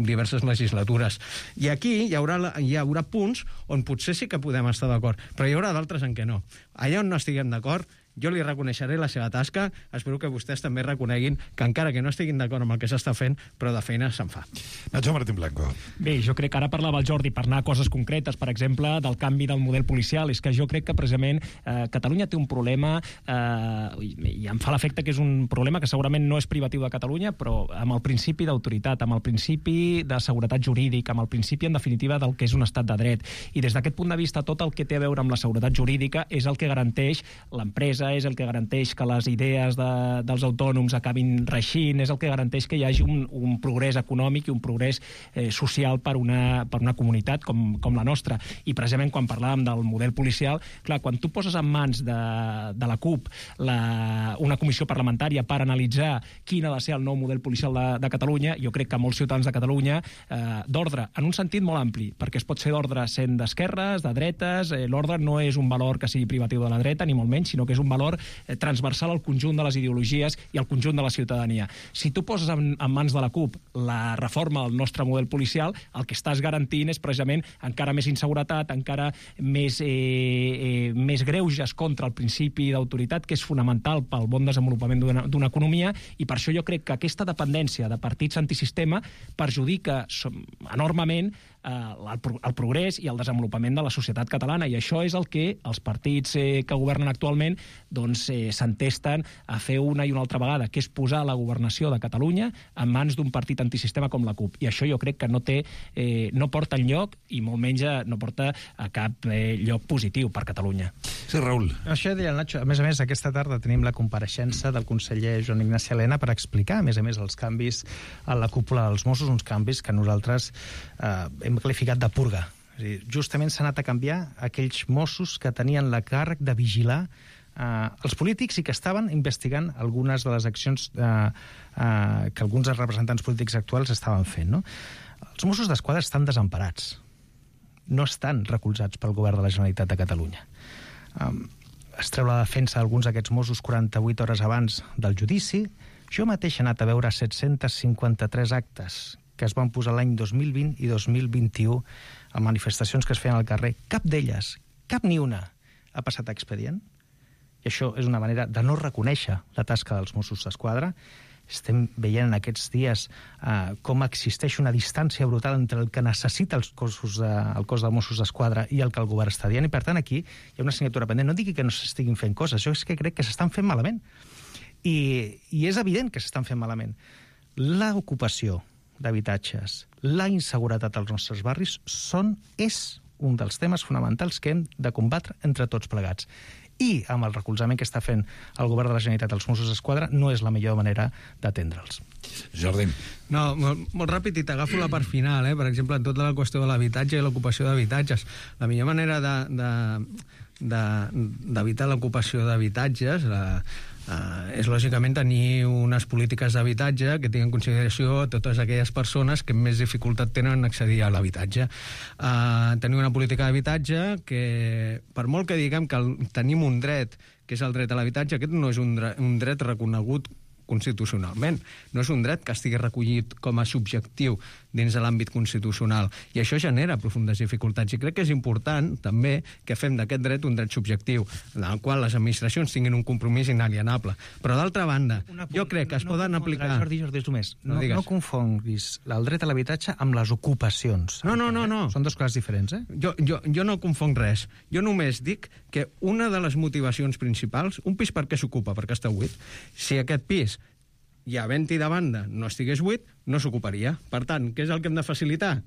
diverses legislatures. I aquí hi haurà, hi haurà punts on potser sí que podem estar d'acord, però hi haurà d'altres en què no. Allà on no estiguem d'acord, jo li reconeixeré la seva tasca, espero que vostès també reconeguin que encara que no estiguin d'acord amb el que s'està fent, però de feina se'n fa. Nacho Martín Blanco. Bé, jo crec que ara parlava el Jordi per anar a coses concretes, per exemple, del canvi del model policial. És que jo crec que precisament eh, Catalunya té un problema eh, i, i em fa l'efecte que és un problema que segurament no és privatiu de Catalunya, però amb el principi d'autoritat, amb el principi de seguretat jurídica, amb el principi, en definitiva, del que és un estat de dret. I des d'aquest punt de vista, tot el que té a veure amb la seguretat jurídica és el que garanteix l'empresa, és el que garanteix que les idees de, dels autònoms acabin reixint, és el que garanteix que hi hagi un, un progrés econòmic i un progrés eh, social per una, per una comunitat com, com la nostra. I precisament quan parlàvem del model policial, clar, quan tu poses en mans de, de la CUP la, una comissió parlamentària per analitzar quin ha de ser el nou model policial de, de Catalunya, jo crec que molts ciutadans de Catalunya eh, d'ordre, en un sentit molt ampli, perquè es pot ser d'ordre sent d'esquerres, de dretes, eh, l'ordre no és un valor que sigui privatiu de la dreta, ni molt menys, sinó que és un valor eh, transversal al conjunt de les ideologies i al conjunt de la ciutadania. Si tu poses en, en mans de la CUP la reforma del nostre model policial, el que estàs garantint és precisament encara més inseguretat, encara més, eh, eh, més greuges contra el principi d'autoritat, que és fonamental pel bon desenvolupament d'una economia, i per això jo crec que aquesta dependència de partits antisistema perjudica enormement eh, el, el progrés i el desenvolupament de la societat catalana, i això és el que els partits eh, que governen actualment doncs, eh, s'entesten a fer una i una altra vegada, que és posar la governació de Catalunya en mans d'un partit antisistema com la CUP. I això jo crec que no té, eh, no porta enlloc i molt menys no porta a cap eh, lloc positiu per Catalunya. Sí, Raül. Això deia el Nacho. A més a més, aquesta tarda tenim la compareixença del conseller Joan Ignaci Elena per explicar, a més a més, els canvis a la cúpula dels Mossos, uns canvis que nosaltres eh, hem qualificat de purga. És a dir, justament s'ha anat a canviar aquells Mossos que tenien la càrrec de vigilar eh, els polítics i que estaven investigant algunes de les accions eh, eh, que alguns dels representants polítics actuals estaven fent. No? Els Mossos d'Esquadra estan desemparats. No estan recolzats pel govern de la Generalitat de Catalunya. Um, es treu la defensa d'alguns d'aquests Mossos quaranta-vuit hores abans del judici. Jo mateix he anat a veure set-cents cinquanta-tres actes que es van posar l'any dos mil vint i dos mil vint-i-u a manifestacions que es feien al carrer. Cap d'elles, cap ni una, ha passat a expedient. I això és una manera de no reconèixer la tasca dels Mossos d'Esquadra. Estem veient en aquests dies eh, com existeix una distància brutal entre el que necessita els cossos de, el cos de Mossos d'Esquadra i el que el govern està dient, i per tant aquí hi ha una assignatura pendent. No digui que no s'estiguin fent coses, jo és que crec que s'estan fent malament. I, i és evident que s'estan fent malament. L'ocupació d'habitatges, la inseguretat als nostres barris són, és un dels temes fonamentals que hem de combatre entre tots plegats. I amb el recolzament que està fent el govern de la Generalitat als Mossos d'Esquadra no és la millor manera d'atendre'ls. Jordi. No, molt, molt ràpid, i t'agafo la part final, eh? Per exemple, en tota la qüestió de l'habitatge i l'ocupació d'habitatges. La millor manera de, de, de, d'evitar l'ocupació d'habitatges la, Uh, és lògicament tenir unes polítiques d'habitatge que tinguin en consideració totes aquelles persones que més dificultat tenen en accedir a l'habitatge. Uh, tenir una política d'habitatge que, per molt que diguem que el, tenim un dret, que és el dret a l'habitatge, aquest no és un dret, un dret reconegut constitucionalment. No és un dret que estigui recollit com a subjectiu dins de l'àmbit constitucional. I això genera profundes dificultats. I crec que és important, també, que fem d'aquest dret un dret subjectiu, en el qual les administracions tinguin un compromís inalienable. Però, d'altra banda, una, jo crec que es no poden aplicar... Jordi, Jordi, és només. No, no, no confonguis el dret a l'habitatge amb les ocupacions. No, no, no, no. Són dues coses diferents, eh? Jo, jo, jo no confonc res. Jo només dic que una de les motivacions principals, un pis per què s'ocupa? Perquè està buit. Si aquest pis i havent-hi de banda no estigués buit, no s'ocuparia. Per tant, què és el que hem de facilitar?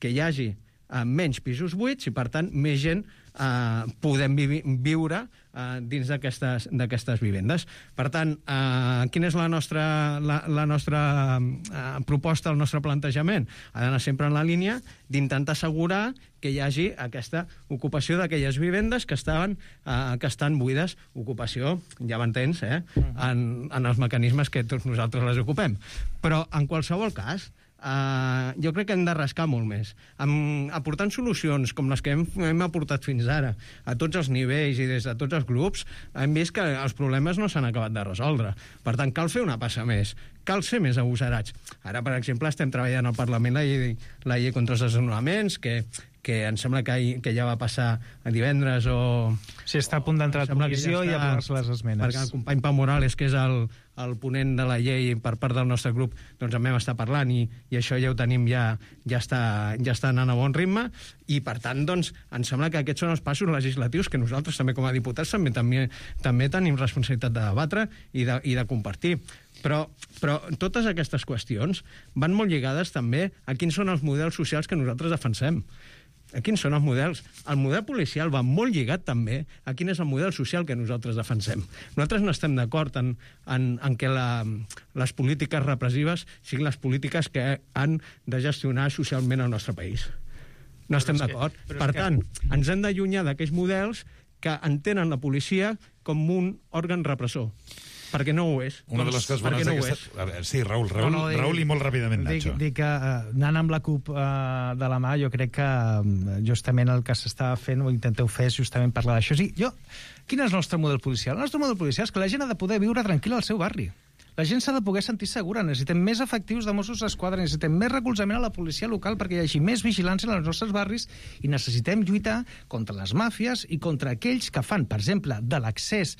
Que hi hagi eh, menys pisos buits i, per tant, més gent eh, podem vi viure eh, dins d'aquestes vivendes. Per tant, eh, quina és la nostra, la, la nostra eh, proposta, el nostre plantejament? Ha d'anar sempre en la línia d'intentar assegurar que hi hagi aquesta ocupació d'aquelles vivendes que, estaven, eh, que estan buides. Ocupació, ja m'entens, eh? en, en els mecanismes que tots nosaltres les ocupem. Però, en qualsevol cas, Uh, jo crec que hem de rascar molt més. Amb, aportant solucions com les que hem, hem aportat fins ara, a tots els nivells i des de tots els grups, hem vist que els problemes no s'han acabat de resoldre. Per tant, cal fer una passa més. Cal ser més agosarats. Ara, per exemple, estem treballant al Parlament la llei, la llei contra els desnonaments, que, que em sembla que, que ja va passar a divendres o... Sí, està a punt d'entrar a comissió ja i aprovar-se les esmenes. Perquè el company Pau Morales, que és el, el ponent de la llei per part del nostre grup, doncs en vam estar parlant i, i això ja ho tenim, ja, ja, està, ja està anant a bon ritme i per tant, doncs, em sembla que aquests són els passos legislatius que nosaltres també com a diputats també, també, també tenim responsabilitat de debatre i de, i de compartir. Però, però totes aquestes qüestions van molt lligades també a quins són els models socials que nosaltres defensem. A quins són els models? El model policial va molt lligat també a quin és el model social que nosaltres defensem. Nosaltres no estem d'acord en, en, en que la, les polítiques repressives siguin les polítiques que han de gestionar socialment el nostre país. No estem d'acord. Per tant, ens hem d'allunyar d'aquells models que entenen la policia com un òrgan repressor. Perquè no ho és. Una de les coses bones no d'aquesta... A veure, sí, Raül, Raül, no, no, Raül i molt ràpidament, Nacho. Dic, dic que uh, anant amb la CUP uh, de la mà, jo crec que uh, justament el que s'està fent, o intenteu fer, és justament parlar d'això. Sí, jo... Quin és el nostre model policial? El nostre model policial és que la gent ha de poder viure tranquil·la al seu barri. La gent s'ha de poder sentir segura. Necessitem més efectius de Mossos d'Esquadra, necessitem més recolzament a la policia local perquè hi hagi més vigilància en els nostres barris i necessitem lluitar contra les màfies i contra aquells que fan, per exemple, de l'accés,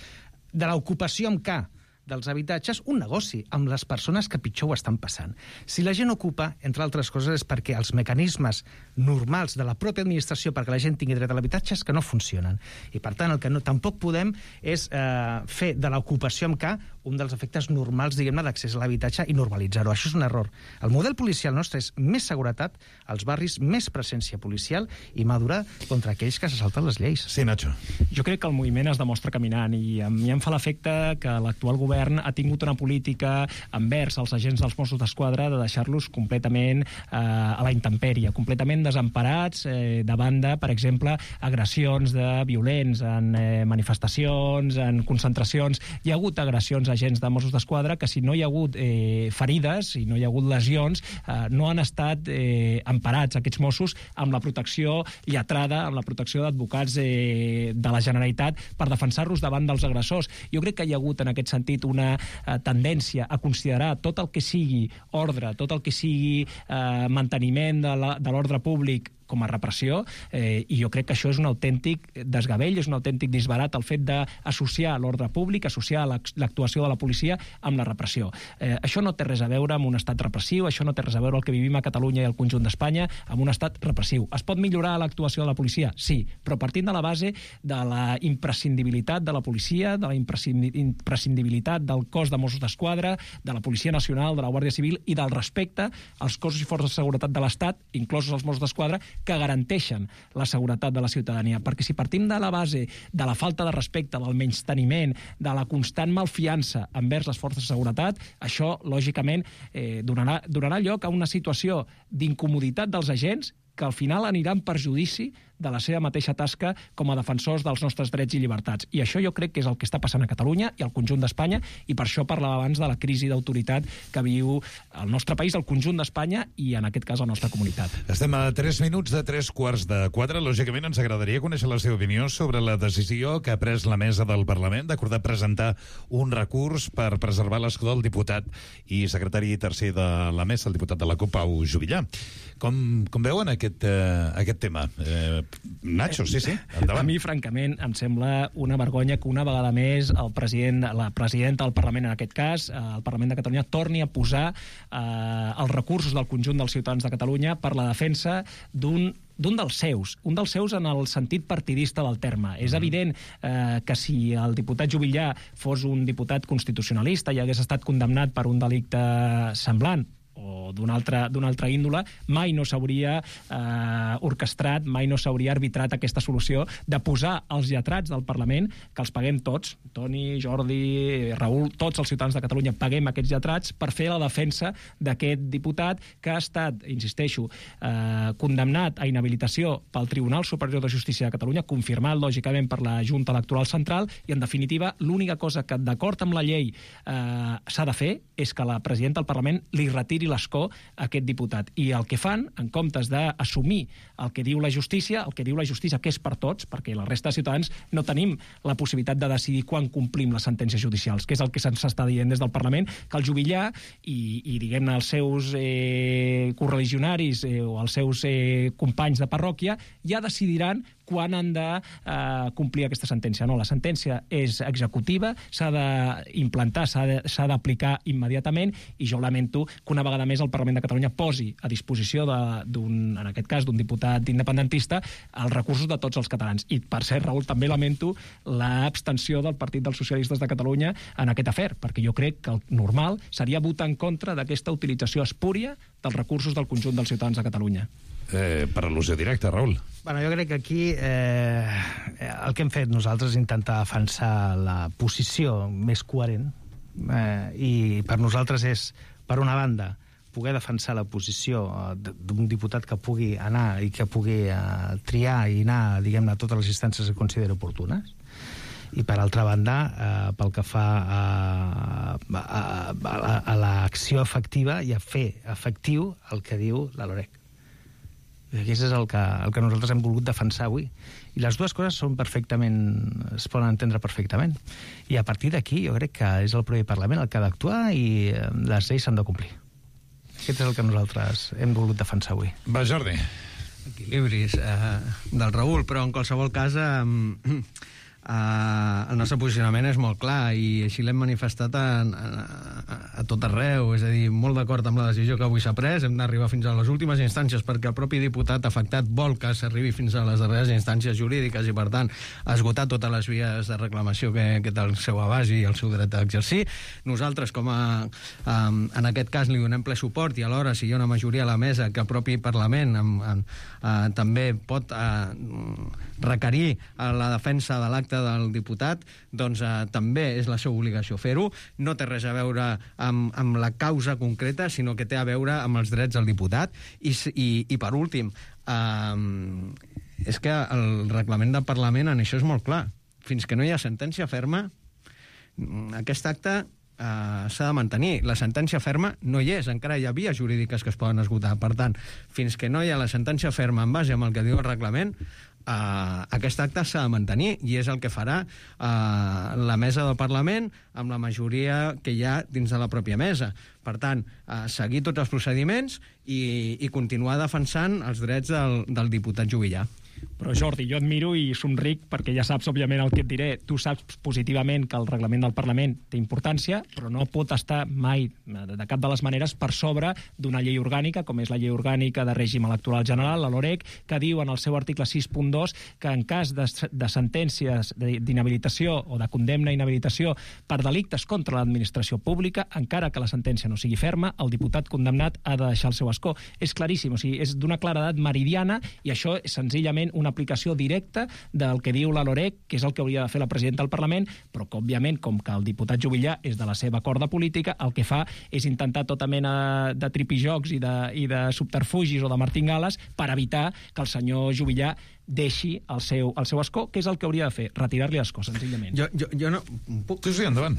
de l'ocupació amb K, dels habitatges, un negoci amb les persones que pitjor ho estan passant. Si la gent ocupa, entre altres coses, és perquè els mecanismes normals de la pròpia administració perquè la gent tingui dret a l'habitatge és que no funcionen. I, per tant, el que no, tampoc podem és eh, fer de l'ocupació amb K un dels efectes normals, diguem-ne, d'accés a l'habitatge i normalitzar-ho. Això és un error. El model policial nostre és més seguretat als barris, més presència policial i madurar contra aquells que se salten les lleis. Sí, Nacho. Jo crec que el moviment es demostra caminant i a mi em fa l'efecte que l'actual govern ha tingut una política envers els agents dels Mossos d'Esquadra de deixar-los completament eh, a la intempèrie, completament desemparats eh, davant de, per exemple, agressions de violents en eh, manifestacions, en concentracions. Hi ha hagut agressions a agents de Mossos d'Esquadra que si no hi ha hagut eh, ferides, si no hi ha hagut lesions, eh, no han estat eh, emparats aquests Mossos amb la protecció lletrada, amb la protecció d'advocats eh, de la Generalitat per defensar-los davant dels agressors. Jo crec que hi ha hagut en aquest sentit una eh, tendència a considerar tot el que sigui ordre, tot el que sigui eh, manteniment de l'ordre públic com a repressió, eh, i jo crec que això és un autèntic desgavell, és un autèntic disbarat el fet d'associar l'ordre públic, associar l'actuació de la policia amb la repressió. Eh, això no té res a veure amb un estat repressiu, això no té res a veure el que vivim a Catalunya i al conjunt d'Espanya amb un estat repressiu. Es pot millorar l'actuació de la policia? Sí, però partint de la base de la imprescindibilitat de la policia, de la imprescindibilitat del cos de Mossos d'Esquadra, de la Policia Nacional, de la Guàrdia Civil i del respecte als cossos i forces de seguretat de l'Estat, inclosos els Mossos d'Esquadra, que garanteixen la seguretat de la ciutadania. Perquè si partim de la base de la falta de respecte, del menysteniment, de la constant malfiança envers les forces de seguretat, això, lògicament, eh, donarà, donarà lloc a una situació d'incomoditat dels agents que al final anirà en perjudici de la seva mateixa tasca com a defensors dels nostres drets i llibertats. I això jo crec que és el que està passant a Catalunya i al conjunt d'Espanya, i per això parlava abans de la crisi d'autoritat que viu el nostre país, el conjunt d'Espanya i, en aquest cas, la nostra comunitat. Estem a tres minuts de tres quarts de quatre. Lògicament, ens agradaria conèixer la seva opinió sobre la decisió que ha pres la mesa del Parlament d'acordar presentar un recurs per preservar l'escó del diputat i secretari tercer de la mesa, el diputat de la CUP, Pau Juvillà. Com, com veuen aquest, eh, aquest tema? Eh, Nacho, sí, sí, endavant. A mi, francament, em sembla una vergonya que una vegada més el president, la presidenta del Parlament, en aquest cas, el Parlament de Catalunya, torni a posar eh, els recursos del conjunt dels ciutadans de Catalunya per la defensa d'un d'un dels seus, un dels seus en el sentit partidista del terme. Mm. És evident eh, que si el diputat Juvillà fos un diputat constitucionalista i hagués estat condemnat per un delicte semblant, o d'una altra, d'una altra índole, mai no s'hauria eh, orquestrat, mai no s'hauria arbitrat aquesta solució de posar els lletrats del Parlament, que els paguem tots, Toni, Jordi, Raül, tots els ciutadans de Catalunya paguem aquests lletrats per fer la defensa d'aquest diputat que ha estat, insisteixo, eh, condemnat a inhabilitació pel Tribunal Superior de Justícia de Catalunya, confirmat, lògicament, per la Junta Electoral Central, i, en definitiva, l'única cosa que, d'acord amb la llei, eh, s'ha de fer és que la presidenta del Parlament li retiri l'escó escó aquest diputat. I el que fan, en comptes d'assumir el que diu la justícia, el que diu la justícia, que és per tots, perquè la resta de ciutadans no tenim la possibilitat de decidir quan complim les sentències judicials, que és el que se'ns està dient des del Parlament, que el Juvillà i, i diguem-ne, els seus eh, correligionaris eh, o els seus eh, companys de parròquia ja decidiran quan han de eh, complir aquesta sentència. No, la sentència és executiva, s'ha d'implantar, s'ha d'aplicar immediatament, i jo lamento que una vegada més el Parlament de Catalunya posi a disposició d'un, en aquest cas, d'un diputat independentista els recursos de tots els catalans. I, per cert, Raül, també lamento l'abstenció del Partit dels Socialistes de Catalunya en aquest afer, perquè jo crec que el normal seria votar en contra d'aquesta utilització espúria dels recursos del conjunt dels ciutadans de Catalunya. Eh, per al·lusió directa, Raül. Bueno, jo crec que aquí eh, el que hem fet nosaltres és intentar defensar la posició més coherent, eh, i per nosaltres és, per una banda, poder defensar la posició d'un diputat que pugui anar i que pugui eh, triar i anar, diguem-ne, a totes les instàncies que consideri oportunes, i per altra banda, eh, pel que fa a, a, a, a l'acció efectiva i a fer efectiu el que diu la LOREC. Aquest és el que, el que nosaltres hem volgut defensar avui. I les dues coses són perfectament, es poden entendre perfectament. I a partir d'aquí jo crec que és el propi Parlament el que ha d'actuar i les lleis s'han de complir. Aquest és el que nosaltres hem volgut defensar avui. Va, Jordi. Equilibris eh, del Raül, però en qualsevol cas eh, Uh, el nostre posicionament és molt clar i així l'hem manifestat a, a, a tot arreu, és a dir, molt d'acord amb la decisió que avui s'ha pres, hem d'arribar fins a les últimes instàncies perquè el propi diputat afectat vol que s'arribi fins a les darreres instàncies jurídiques i per tant esgotar totes les vies de reclamació que, que té el seu abast i el seu dret a exercir. Nosaltres, com a um, en aquest cas li donem ple suport i alhora si hi ha una majoria a la mesa que el propi Parlament um, um, uh, també pot uh, requerir a la defensa de l'acte del diputat, doncs eh, també és la seva obligació fer-ho. No té res a veure amb, amb la causa concreta, sinó que té a veure amb els drets del diputat. I, i, i per últim, eh, és que el reglament del Parlament en això és molt clar. Fins que no hi ha sentència ferma, aquest acte Uh, s'ha de mantenir. La sentència ferma no hi és, encara hi ha vies jurídiques que es poden esgotar. Per tant, fins que no hi ha la sentència ferma en base amb el que diu el reglament, uh, aquest acte s'ha de mantenir i és el que farà uh, la mesa del Parlament amb la majoria que hi ha dins de la pròpia mesa. Per tant, uh, seguir tots els procediments i, i continuar defensant els drets del, del diputat Juvillà. Però Jordi, jo et miro i somric perquè ja saps, òbviament, el que et diré. Tu saps positivament que el reglament del Parlament té importància, però no pot estar mai, de cap de les maneres, per sobre d'una llei orgànica, com és la llei orgànica de règim electoral general, la LOREC, que diu en el seu article sis punt dos que en cas de, de sentències d'inhabilitació o de condemna a inhabilitació per delictes contra l'administració pública, encara que la sentència no sigui ferma, el diputat condemnat ha de deixar el seu escó. És claríssim, o sigui, és d'una claredat meridiana i això és senzillament una aplicació directa del que diu la LOREC, que és el que hauria de fer la presidenta del Parlament, però que, òbviament, com que el diputat Juvillà és de la seva corda política, el que fa és intentar tota mena de tripijocs i de, i de subterfugis o de martingales per evitar que el senyor Juvillà deixi el seu, el seu escó, que és el que hauria de fer, retirar-li l'escó, senzillament. Jo, jo, jo no... Puc... Sí, sí, endavant.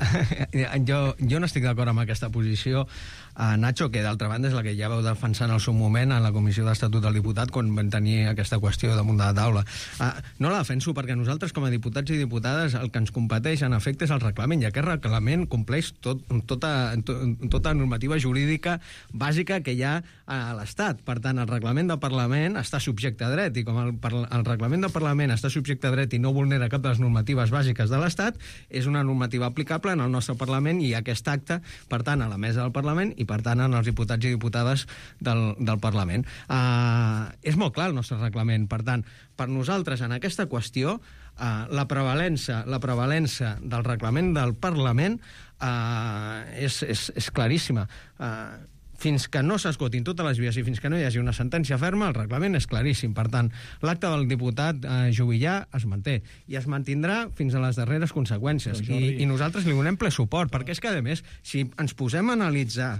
jo, jo no estic d'acord amb aquesta posició, uh, Nacho, que d'altra banda és la que ja vau defensar en el seu moment en la Comissió d'Estatut del Diputat quan van tenir aquesta qüestió damunt de la taula. Uh, no la defenso perquè nosaltres, com a diputats i diputades, el que ens competeix, en efecte, és el reglament, i aquest reglament compleix tot, tota, to, tota normativa jurídica bàsica que hi ha a l'Estat. Per tant, el reglament del Parlament està subjecte a dret, i com el, el reglament del Parlament està subjecte a dret i no vulnera cap de les normatives bàsiques de l'Estat, és una normativa aplicable en el nostre Parlament i aquest acte, per tant, a la mesa del Parlament i, per tant, en els diputats i diputades del, del Parlament. Uh, és molt clar el nostre reglament. Per tant, per nosaltres, en aquesta qüestió, uh, la prevalença, la prevalença del reglament del Parlament uh, és, és, és claríssima. Uh, Fins que no s'esgotin totes les vies i fins que no hi hagi una sentència ferma, el reglament és claríssim. Per tant, l'acte del diputat eh, Juvillà es manté i es mantindrà fins a les darreres conseqüències. I, i nosaltres li donem ple suport, perquè és que, a més, si ens posem a analitzar,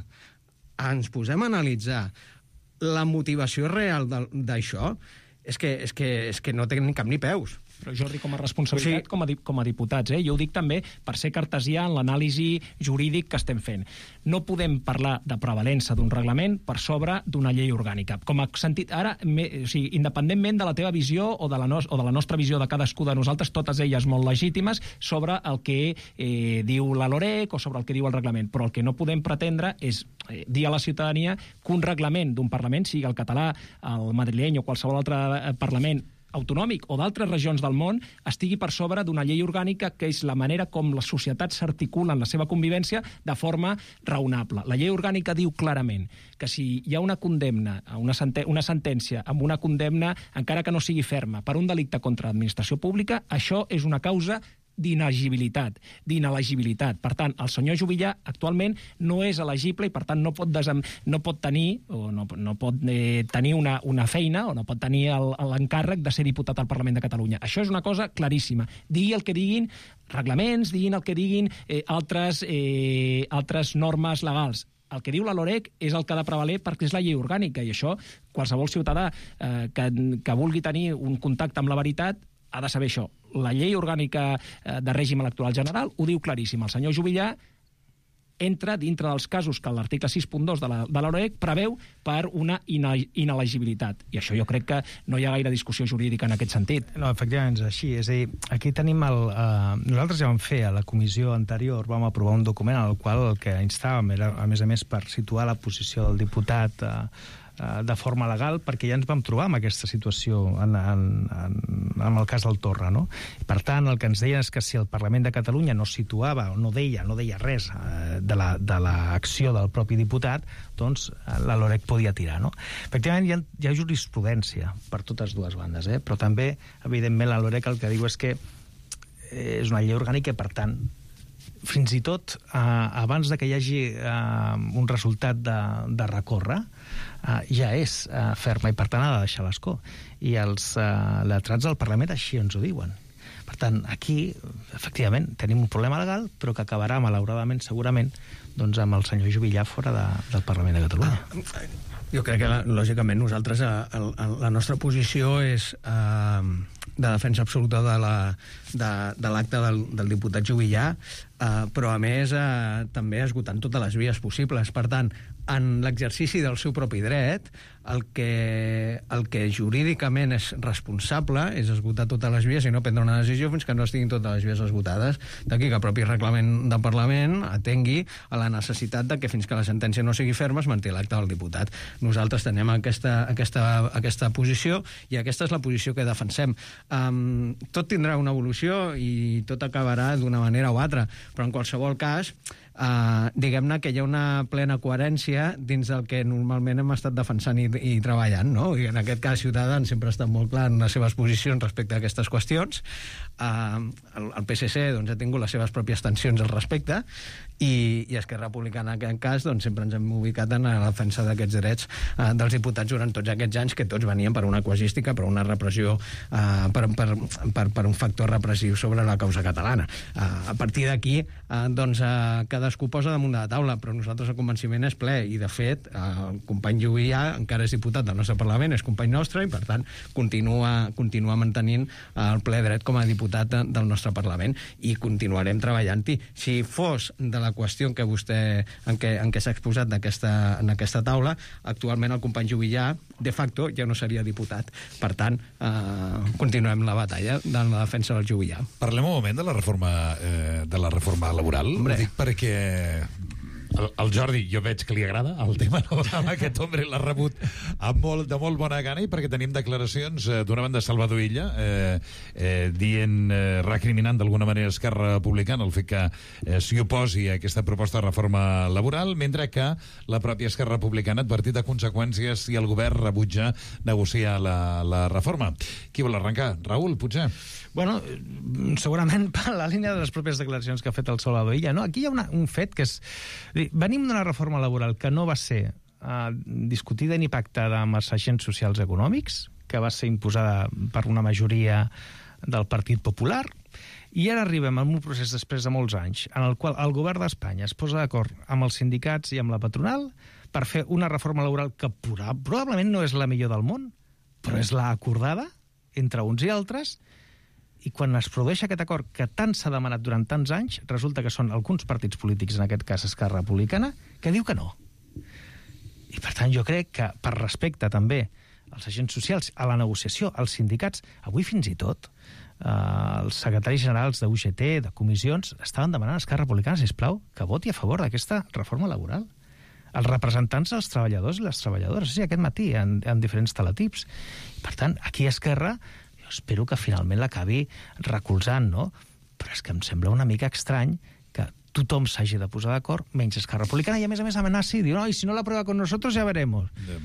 ens posem a analitzar la motivació real d'això, és que, és, que, és que no té ni cap ni peus. Però, Jordi, com a responsabilitat, sí. com, a, com a diputats, eh? jo ho dic també per ser cartesià en l'anàlisi jurídic que estem fent. No podem parlar de prevalença d'un reglament per sobre d'una llei orgànica. Com a sentit, ara, me, o sigui, independentment de la teva visió o de, la no, o de la nostra visió de cadascú de nosaltres, totes elles molt legítimes, sobre el que eh, diu la LOREC o sobre el que diu el reglament. Però el que no podem pretendre és eh, dir a la ciutadania que un reglament d'un Parlament, sigui el català, el madrileny o qualsevol altre Parlament autonòmic o d'altres regions del món, estigui per sobre d'una llei orgànica, que és la manera com les societats s'articulen la seva convivència de forma raonable. La llei orgànica diu clarament que si hi ha una condemna, una, senten una sentència amb una condemna, encara que no sigui ferma, per un delicte contra l'administració pública, això és una causa d'inelegibilitat, d'inelegibilitat. Per tant, el senyor Juvillà actualment no és elegible i, per tant, no pot, desem... no pot tenir o no, no pot eh, tenir una, una feina o no pot tenir l'encàrrec de ser diputat al Parlament de Catalunya. Això és una cosa claríssima. Digui el que diguin reglaments, diguin el que diguin eh, altres, eh, altres normes legals. El que diu la LOREC és el que ha de prevaler perquè és la llei orgànica, i això qualsevol ciutadà eh, que, que vulgui tenir un contacte amb la veritat ha de saber això. La llei orgànica de règim electoral general ho diu claríssim. El senyor Juvillà entra dintre dels casos que l'article sis punt dos de la, de la LOREC preveu per una inelegibilitat. I això jo crec que no hi ha gaire discussió jurídica en aquest sentit. No, efectivament és així. És a dir, aquí tenim el... Eh, nosaltres ja vam fer a la comissió anterior, vam aprovar un document en el qual el que instàvem era, a més a més, per situar la posició del diputat eh, de forma legal, perquè ja ens vam trobar amb aquesta situació en, en, en, en el cas del Torra, no? I, per tant, el que ens deien és que si el Parlament de Catalunya no situava o no deia, no deia res eh, de l'acció la, de del propi diputat, doncs la LOREC podia tirar, no? Efectivament, hi ha, hi ha jurisprudència per totes dues bandes, eh? Però també, evidentment, la LOREC el que diu és que és una llei orgànica i, per tant, fins i tot eh, abans de que hi hagi eh, un resultat de, de recórrer, eh, ja és eh, ferma i per tant ha de deixar l'escó. I els eh, lletrats del Parlament així ens ho diuen. Per tant, aquí, efectivament, tenim un problema legal, però que acabarà, malauradament, segurament, doncs, amb el senyor Juvillà fora de, del Parlament de Catalunya. Jo crec que, lògicament, nosaltres, a, a, la nostra posició és eh, de defensa absoluta de l'acte de, de l'acte del, del diputat Juvillà, eh, però, a més, eh, també esgotant totes les vies possibles. Per tant, en l'exercici del seu propi dret, el que, el que jurídicament és responsable és esgotar totes les vies i no prendre una decisió fins que no estiguin totes les vies esgotades. D'aquí que el propi reglament del Parlament atengui a la necessitat de que fins que la sentència no sigui ferma es manté l'acte del diputat. Nosaltres tenem aquesta, aquesta, aquesta posició i aquesta és la posició que defensem. Um, tot tindrà una evolució i tot acabarà d'una manera o altra, però en qualsevol cas Uh, diguem-ne que hi ha una plena coherència dins del que normalment hem estat defensant i, i treballant, no? I en aquest cas Ciutadans sempre ha estat molt clar en les seves posicions respecte a aquestes qüestions. Uh, el, el P S C doncs, ha tingut les seves pròpies tensions al respecte i, i Esquerra Republicana en aquest cas doncs, sempre ens hem ubicat en la defensa d'aquests drets uh, dels diputats durant tots aquests anys que tots venien per una quasística, per una repressió uh, per, per, per, per un factor repressiu sobre la causa catalana. Uh, a partir d'aquí uh, doncs uh, cadascú posa damunt de la taula, però nosaltres el convenciment és ple i de fet el company Juvillà encara és diputat del nostre Parlament, és company nostre i per tant continua, continua mantenint el ple dret com a diputat del nostre Parlament i continuarem treballant-hi. Si fos de la qüestió en què vostè en què, en què s'ha exposat aquesta, en aquesta taula, actualment el company Juvillà de facto ja no seria diputat. Per tant, eh, continuem la batalla de la defensa del Juvillà. Parlem un moment de la reforma, eh, de la reforma laboral. Hombre. Ho dic perquè el, el Jordi, jo veig que li agrada el tema, no? Aquest home l'ha rebut amb molt, de molt bona gana i perquè tenim declaracions eh, d'una banda Salvador Illa eh, eh, dient, eh, recriminant d'alguna manera Esquerra Republicana el fet que eh, s'hi oposi a aquesta proposta de reforma laboral, mentre que la pròpia Esquerra Republicana ha advertit de conseqüències si el govern rebutja negociar la, la reforma. Qui vol arrencar? Raül, potser? Bueno, segurament per la línia de les pròpies declaracions que ha fet el Salvador Illa, no? Aquí hi ha una, un fet que és... Venim d'una reforma laboral que no va ser eh, discutida ni pactada amb els agents socials econòmics, que va ser imposada per una majoria del Partit Popular, i ara arribem a un procés després de molts anys en el qual el govern d'Espanya es posa d'acord amb els sindicats i amb la patronal per fer una reforma laboral que probablement no és la millor del món, però és la acordada entre uns i altres, I quan es produeix aquest acord que tant s'ha demanat durant tants anys, resulta que són alguns partits polítics, en aquest cas Esquerra Republicana, que diu que no. I, per tant, jo crec que, per respecte també als agents socials, a la negociació, als sindicats, avui fins i tot eh, els secretaris generals de U G T, de comissions, estaven demanant a Esquerra Republicana, sisplau, que voti a favor d'aquesta reforma laboral. Els representants dels treballadors i les treballadores, sí, aquest matí, en, en diferents teletips. Per tant, aquí a Esquerra, jo espero que finalment l'acabi recolzant, no? Però és que em sembla una mica estrany que tothom s'hagi de posar d'acord, menys Esquerra Republicana, i a més a més amenaci, diu, no, i si no la prueba con nosotros ja veremos. Yeah.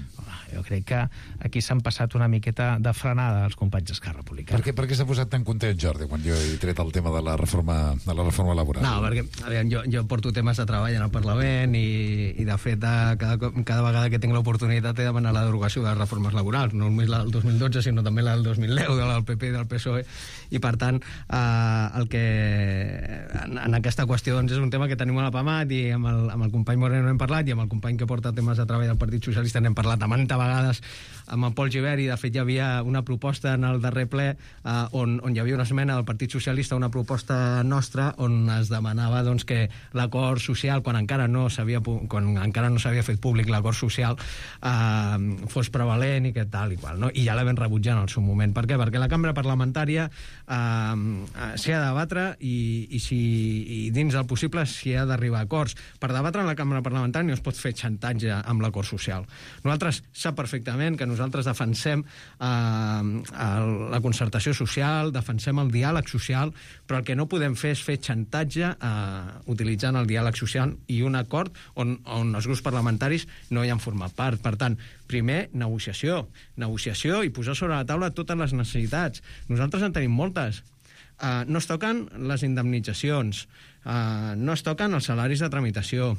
Jo crec que aquí s'han passat una miqueta de frenada els companys d'Esquerra Republicana. Per què, per què s'ha posat tan content, Jordi, quan jo he tret el tema de la reforma, de la reforma laboral? No, perquè aviam, jo, jo porto temes de treball en el Parlament i, i de fet, de, cada, cada vegada que tinc l'oportunitat he de demanar la derogació de les reformes laborals, no només la del dos mil dotze, sinó també la del dos mil deu, de la del P P i del P S O E, i per tant, eh, el que en, en aquesta qüestió doncs, és un tema que tenim a la PAMAT i amb el, amb el company Moreno hem parlat i amb el company que porta temes de treball del Partit Socialista n'hem parlat a manta vegades amb en Pol Gibert, i de fet hi havia una proposta en el darrer ple eh, on, on hi havia una esmena del Partit Socialista, una proposta nostra on es demanava doncs, que l'acord social, quan encara no s'havia quan encara no s'havia fet públic l'acord social, eh, fos prevalent i que tal i qual, no? I ja la vam rebutjar en el seu moment. Per què? Perquè la cambra parlamentària eh, s'hi ha de debatre i, i, si, i dins el possible s'hi ha d'arribar a acords. Per debatre en la cambra parlamentària no es pot fer xantatge amb l'acord social. Nosaltres sap perfectament que nosaltres defensem eh, la concertació social, defensem el diàleg social, però el que no podem fer és fer xantatge eh, utilitzant el diàleg social i un acord on, on els grups parlamentaris no hi han format part. Per tant, primer, negociació. Negociació i posar sobre la taula totes les necessitats. Nosaltres en tenim moltes. Uh, no es toquen les indemnitzacions, uh, no es toquen els salaris de tramitació,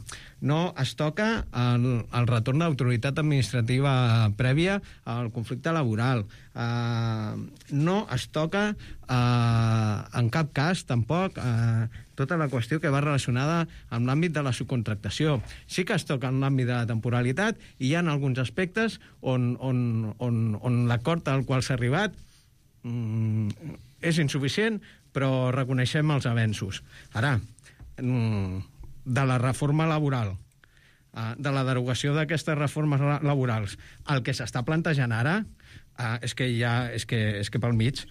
no es toca el, el retorn d'autoritat administrativa prèvia al conflicte laboral, uh, no es toca uh, en cap cas tampoc uh, tota la qüestió que va relacionada amb l'àmbit de la subcontractació. Sí que es toca en l'àmbit de la temporalitat i hi ha alguns aspectes on, on, on, on l'acord al qual s'ha arribat mm, és insuficient, però reconeixem els avenços. Ara, de la reforma laboral, de la derogació d'aquestes reformes laborals, el que s'està plantejant ara és que ja és que, és que pel mig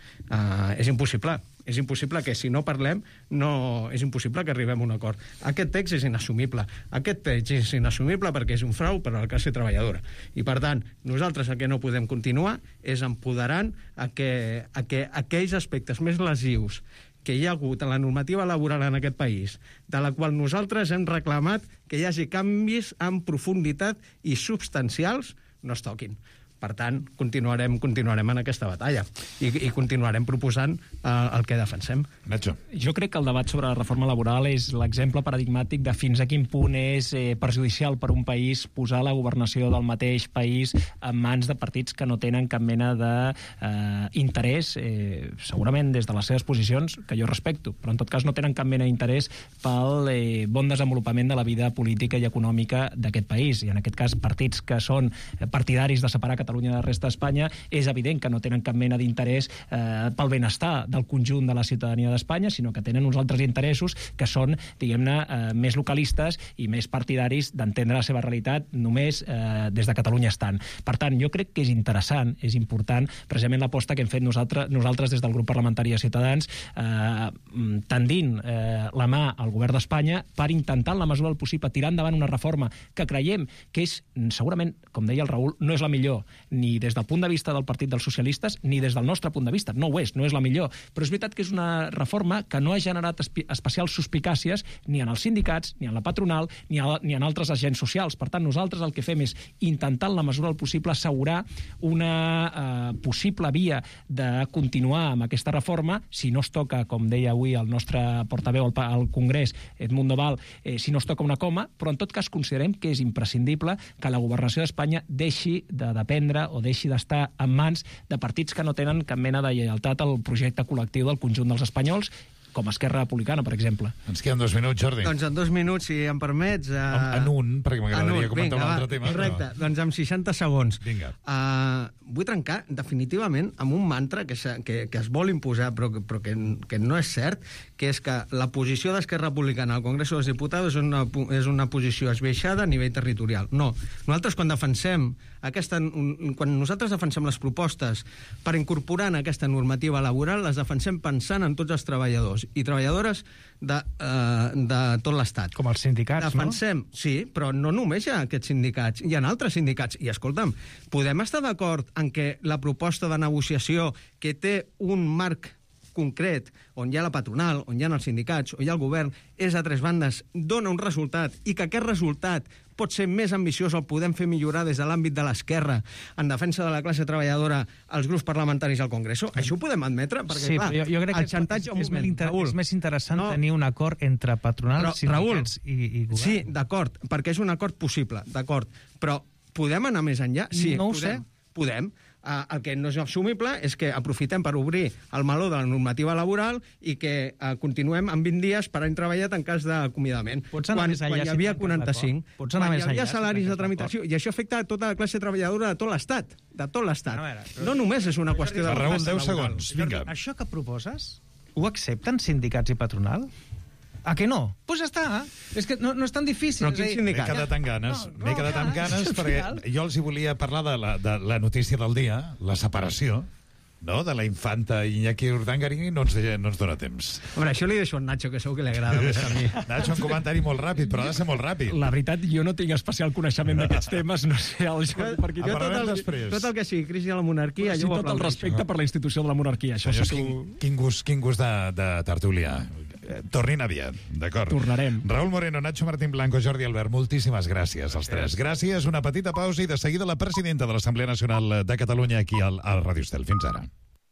és impossible. És impossible que, si no parlem, no, és impossible que arribem a un acord. Aquest text és inassumible. Aquest text és inassumible perquè és un frau per a la classe treballadora. I, per tant, nosaltres el que no podem continuar és empoderant a que, a que aquells aspectes més lesius que hi ha hagut en la normativa laboral en aquest país, de la qual nosaltres hem reclamat que hi hagi canvis en profunditat i substancials, no es toquin. Per tant, continuarem, continuarem en aquesta batalla i, i continuarem proposant eh, el que defensem. Nacho. Jo crec que el debat sobre la reforma laboral és l'exemple paradigmàtic de fins a quin punt és eh, perjudicial per un país posar la governació del mateix país en mans de partits que no tenen cap mena d'interès, eh, eh, segurament des de les seves posicions, que jo respecto, però en tot cas no tenen cap mena d'interès pel eh, bon desenvolupament de la vida política i econòmica d'aquest país. I en aquest cas, partits que són partidaris de separar Catalunya de la resta d'Espanya, és evident que no tenen cap mena d'interès eh, pel benestar del conjunt de la ciutadania d'Espanya, sinó que tenen uns altres interessos que són, diguem-ne, eh, més localistes i més partidaris d'entendre la seva realitat només eh, des de Catalunya estant. Per tant, jo crec que és interessant, és important, precisament l'aposta que hem fet nosaltres, nosaltres des del grup parlamentari de Ciutadans, eh, tendint eh, la mà al govern d'Espanya per intentar, en la mesura del possible, tirar endavant una reforma que creiem que és, segurament, com deia el Raül, no és la millor, ni des del punt de vista del Partit dels Socialistes, ni des del nostre punt de vista. No ho és, no és la millor. Però és veritat que és una reforma que no ha generat especials suspicàcies ni en els sindicats, ni en la patronal, ni, a, ni en altres agents socials. Per tant, nosaltres el que fem és intentar, en la mesura del possible, assegurar una eh, possible via de continuar amb aquesta reforma, si no es toca, com deia avui el nostre portaveu al, al Congrés, Edmundo Val, eh, si no es toca una coma, però en tot cas considerem que és imprescindible que la governació d'Espanya deixi de dependre o deixi d'estar en mans de partits que no tenen cap mena de lleialtat al projecte col·lectiu del conjunt dels espanyols, com Esquerra Republicana, per exemple. Ens queden dos minuts, Jordi. Doncs en dos minuts, si em permets... Uh... En, en un, perquè m'agradaria comentar vinga, un altre va, tema. Correcte, però... doncs en seixanta segons. Vinga. Uh, vull trencar definitivament amb un mantra que, que, que es vol imposar, però, que, però que, que no és cert, que és que la posició d'Esquerra Republicana al Congrés dels Diputats és una, és una posició esbiaixada a nivell territorial. No. Nosaltres, quan defensem aquesta, quan nosaltres defensem les propostes per incorporar en aquesta normativa laboral, les defensem pensant en tots els treballadors i treballadores de, uh, de tot l'Estat. Com els sindicats, defensem, no? Sí, però no només hi ha aquests sindicats, hi ha altres sindicats. I escolta'm, podem estar d'acord en que la proposta de negociació que té un marc concret, on hi ha la patronal, on hi ha els sindicats, on hi ha el govern, és a tres bandes, dona un resultat, i que aquest resultat pot ser més ambiciós, el podem fer millorar des de l'àmbit de l'esquerra, en defensa de la classe treballadora, als grups parlamentaris al Congreso. Això ho podem admetre, perquè, sí, clar, jo, jo crec el que xantatge... és, és, moment, inter... Raül, és més interessant no. tenir un acord entre patronals, Però, sindicats Raül, i, i govern. Sí, d'acord, perquè és un acord possible, d'acord, però podem anar més enllà? Sí, no ho podem. sé. Podem. Uh, el que no és assumible és que aprofitem per obrir el meló de la normativa laboral i que uh, continuem amb vint dies per any treballat en cas d'acomiadament. Pots anar quan, més enllà quan hi si havia tanques quaranta-cinc, l'acord. Pots anar quan més hi havia enllà si salaris tanques de tramitació, i això afecta a tota la classe treballadora de tot l'Estat, de tot l'Estat. A veure, però- No només és una qüestió de... Raül, classe deu laboral. segons, vinga. Això que proposes, ho accepten sindicats i patronal? A que no? Doncs pues ja està. És que no, no és tan difícil. Però és a quin dir- M'he sindicat? quedat amb ganes, No, no, m'he quedat amb clar, ganes és perquè final. jo els hi volia parlar de la, de la notícia del dia, la separació, no?, de la infanta Iñaki Urdangarín, i no ens, no ens dona temps. Hombre, això li deixo a Nacho, que segur que li agrada més que a mi. Nacho, un comentari molt ràpid, però ha de ser molt ràpid. La veritat, jo no tinc especial coneixement d'aquests temes, no sé, el Jordi per aquí... Jo tot parlarem el, després. tot el que sigui crisi de la monarquia, Sí, jo ho tot el aplaudeixo. respecte per la institució de la monarquia, això Senyors, sí que quin, ho... quin gust, quin gust de, de tertúlia. Eh, Tornin aviat, d'acord? Tornarem. Raül Moreno, Nacho Martín Blanco, Jordi Albert, moltíssimes gràcies als tres. Gràcies, una petita pausa i de seguida la presidenta de l'Assemblea Nacional de Catalunya aquí al, al Radio Estel. Fins ara.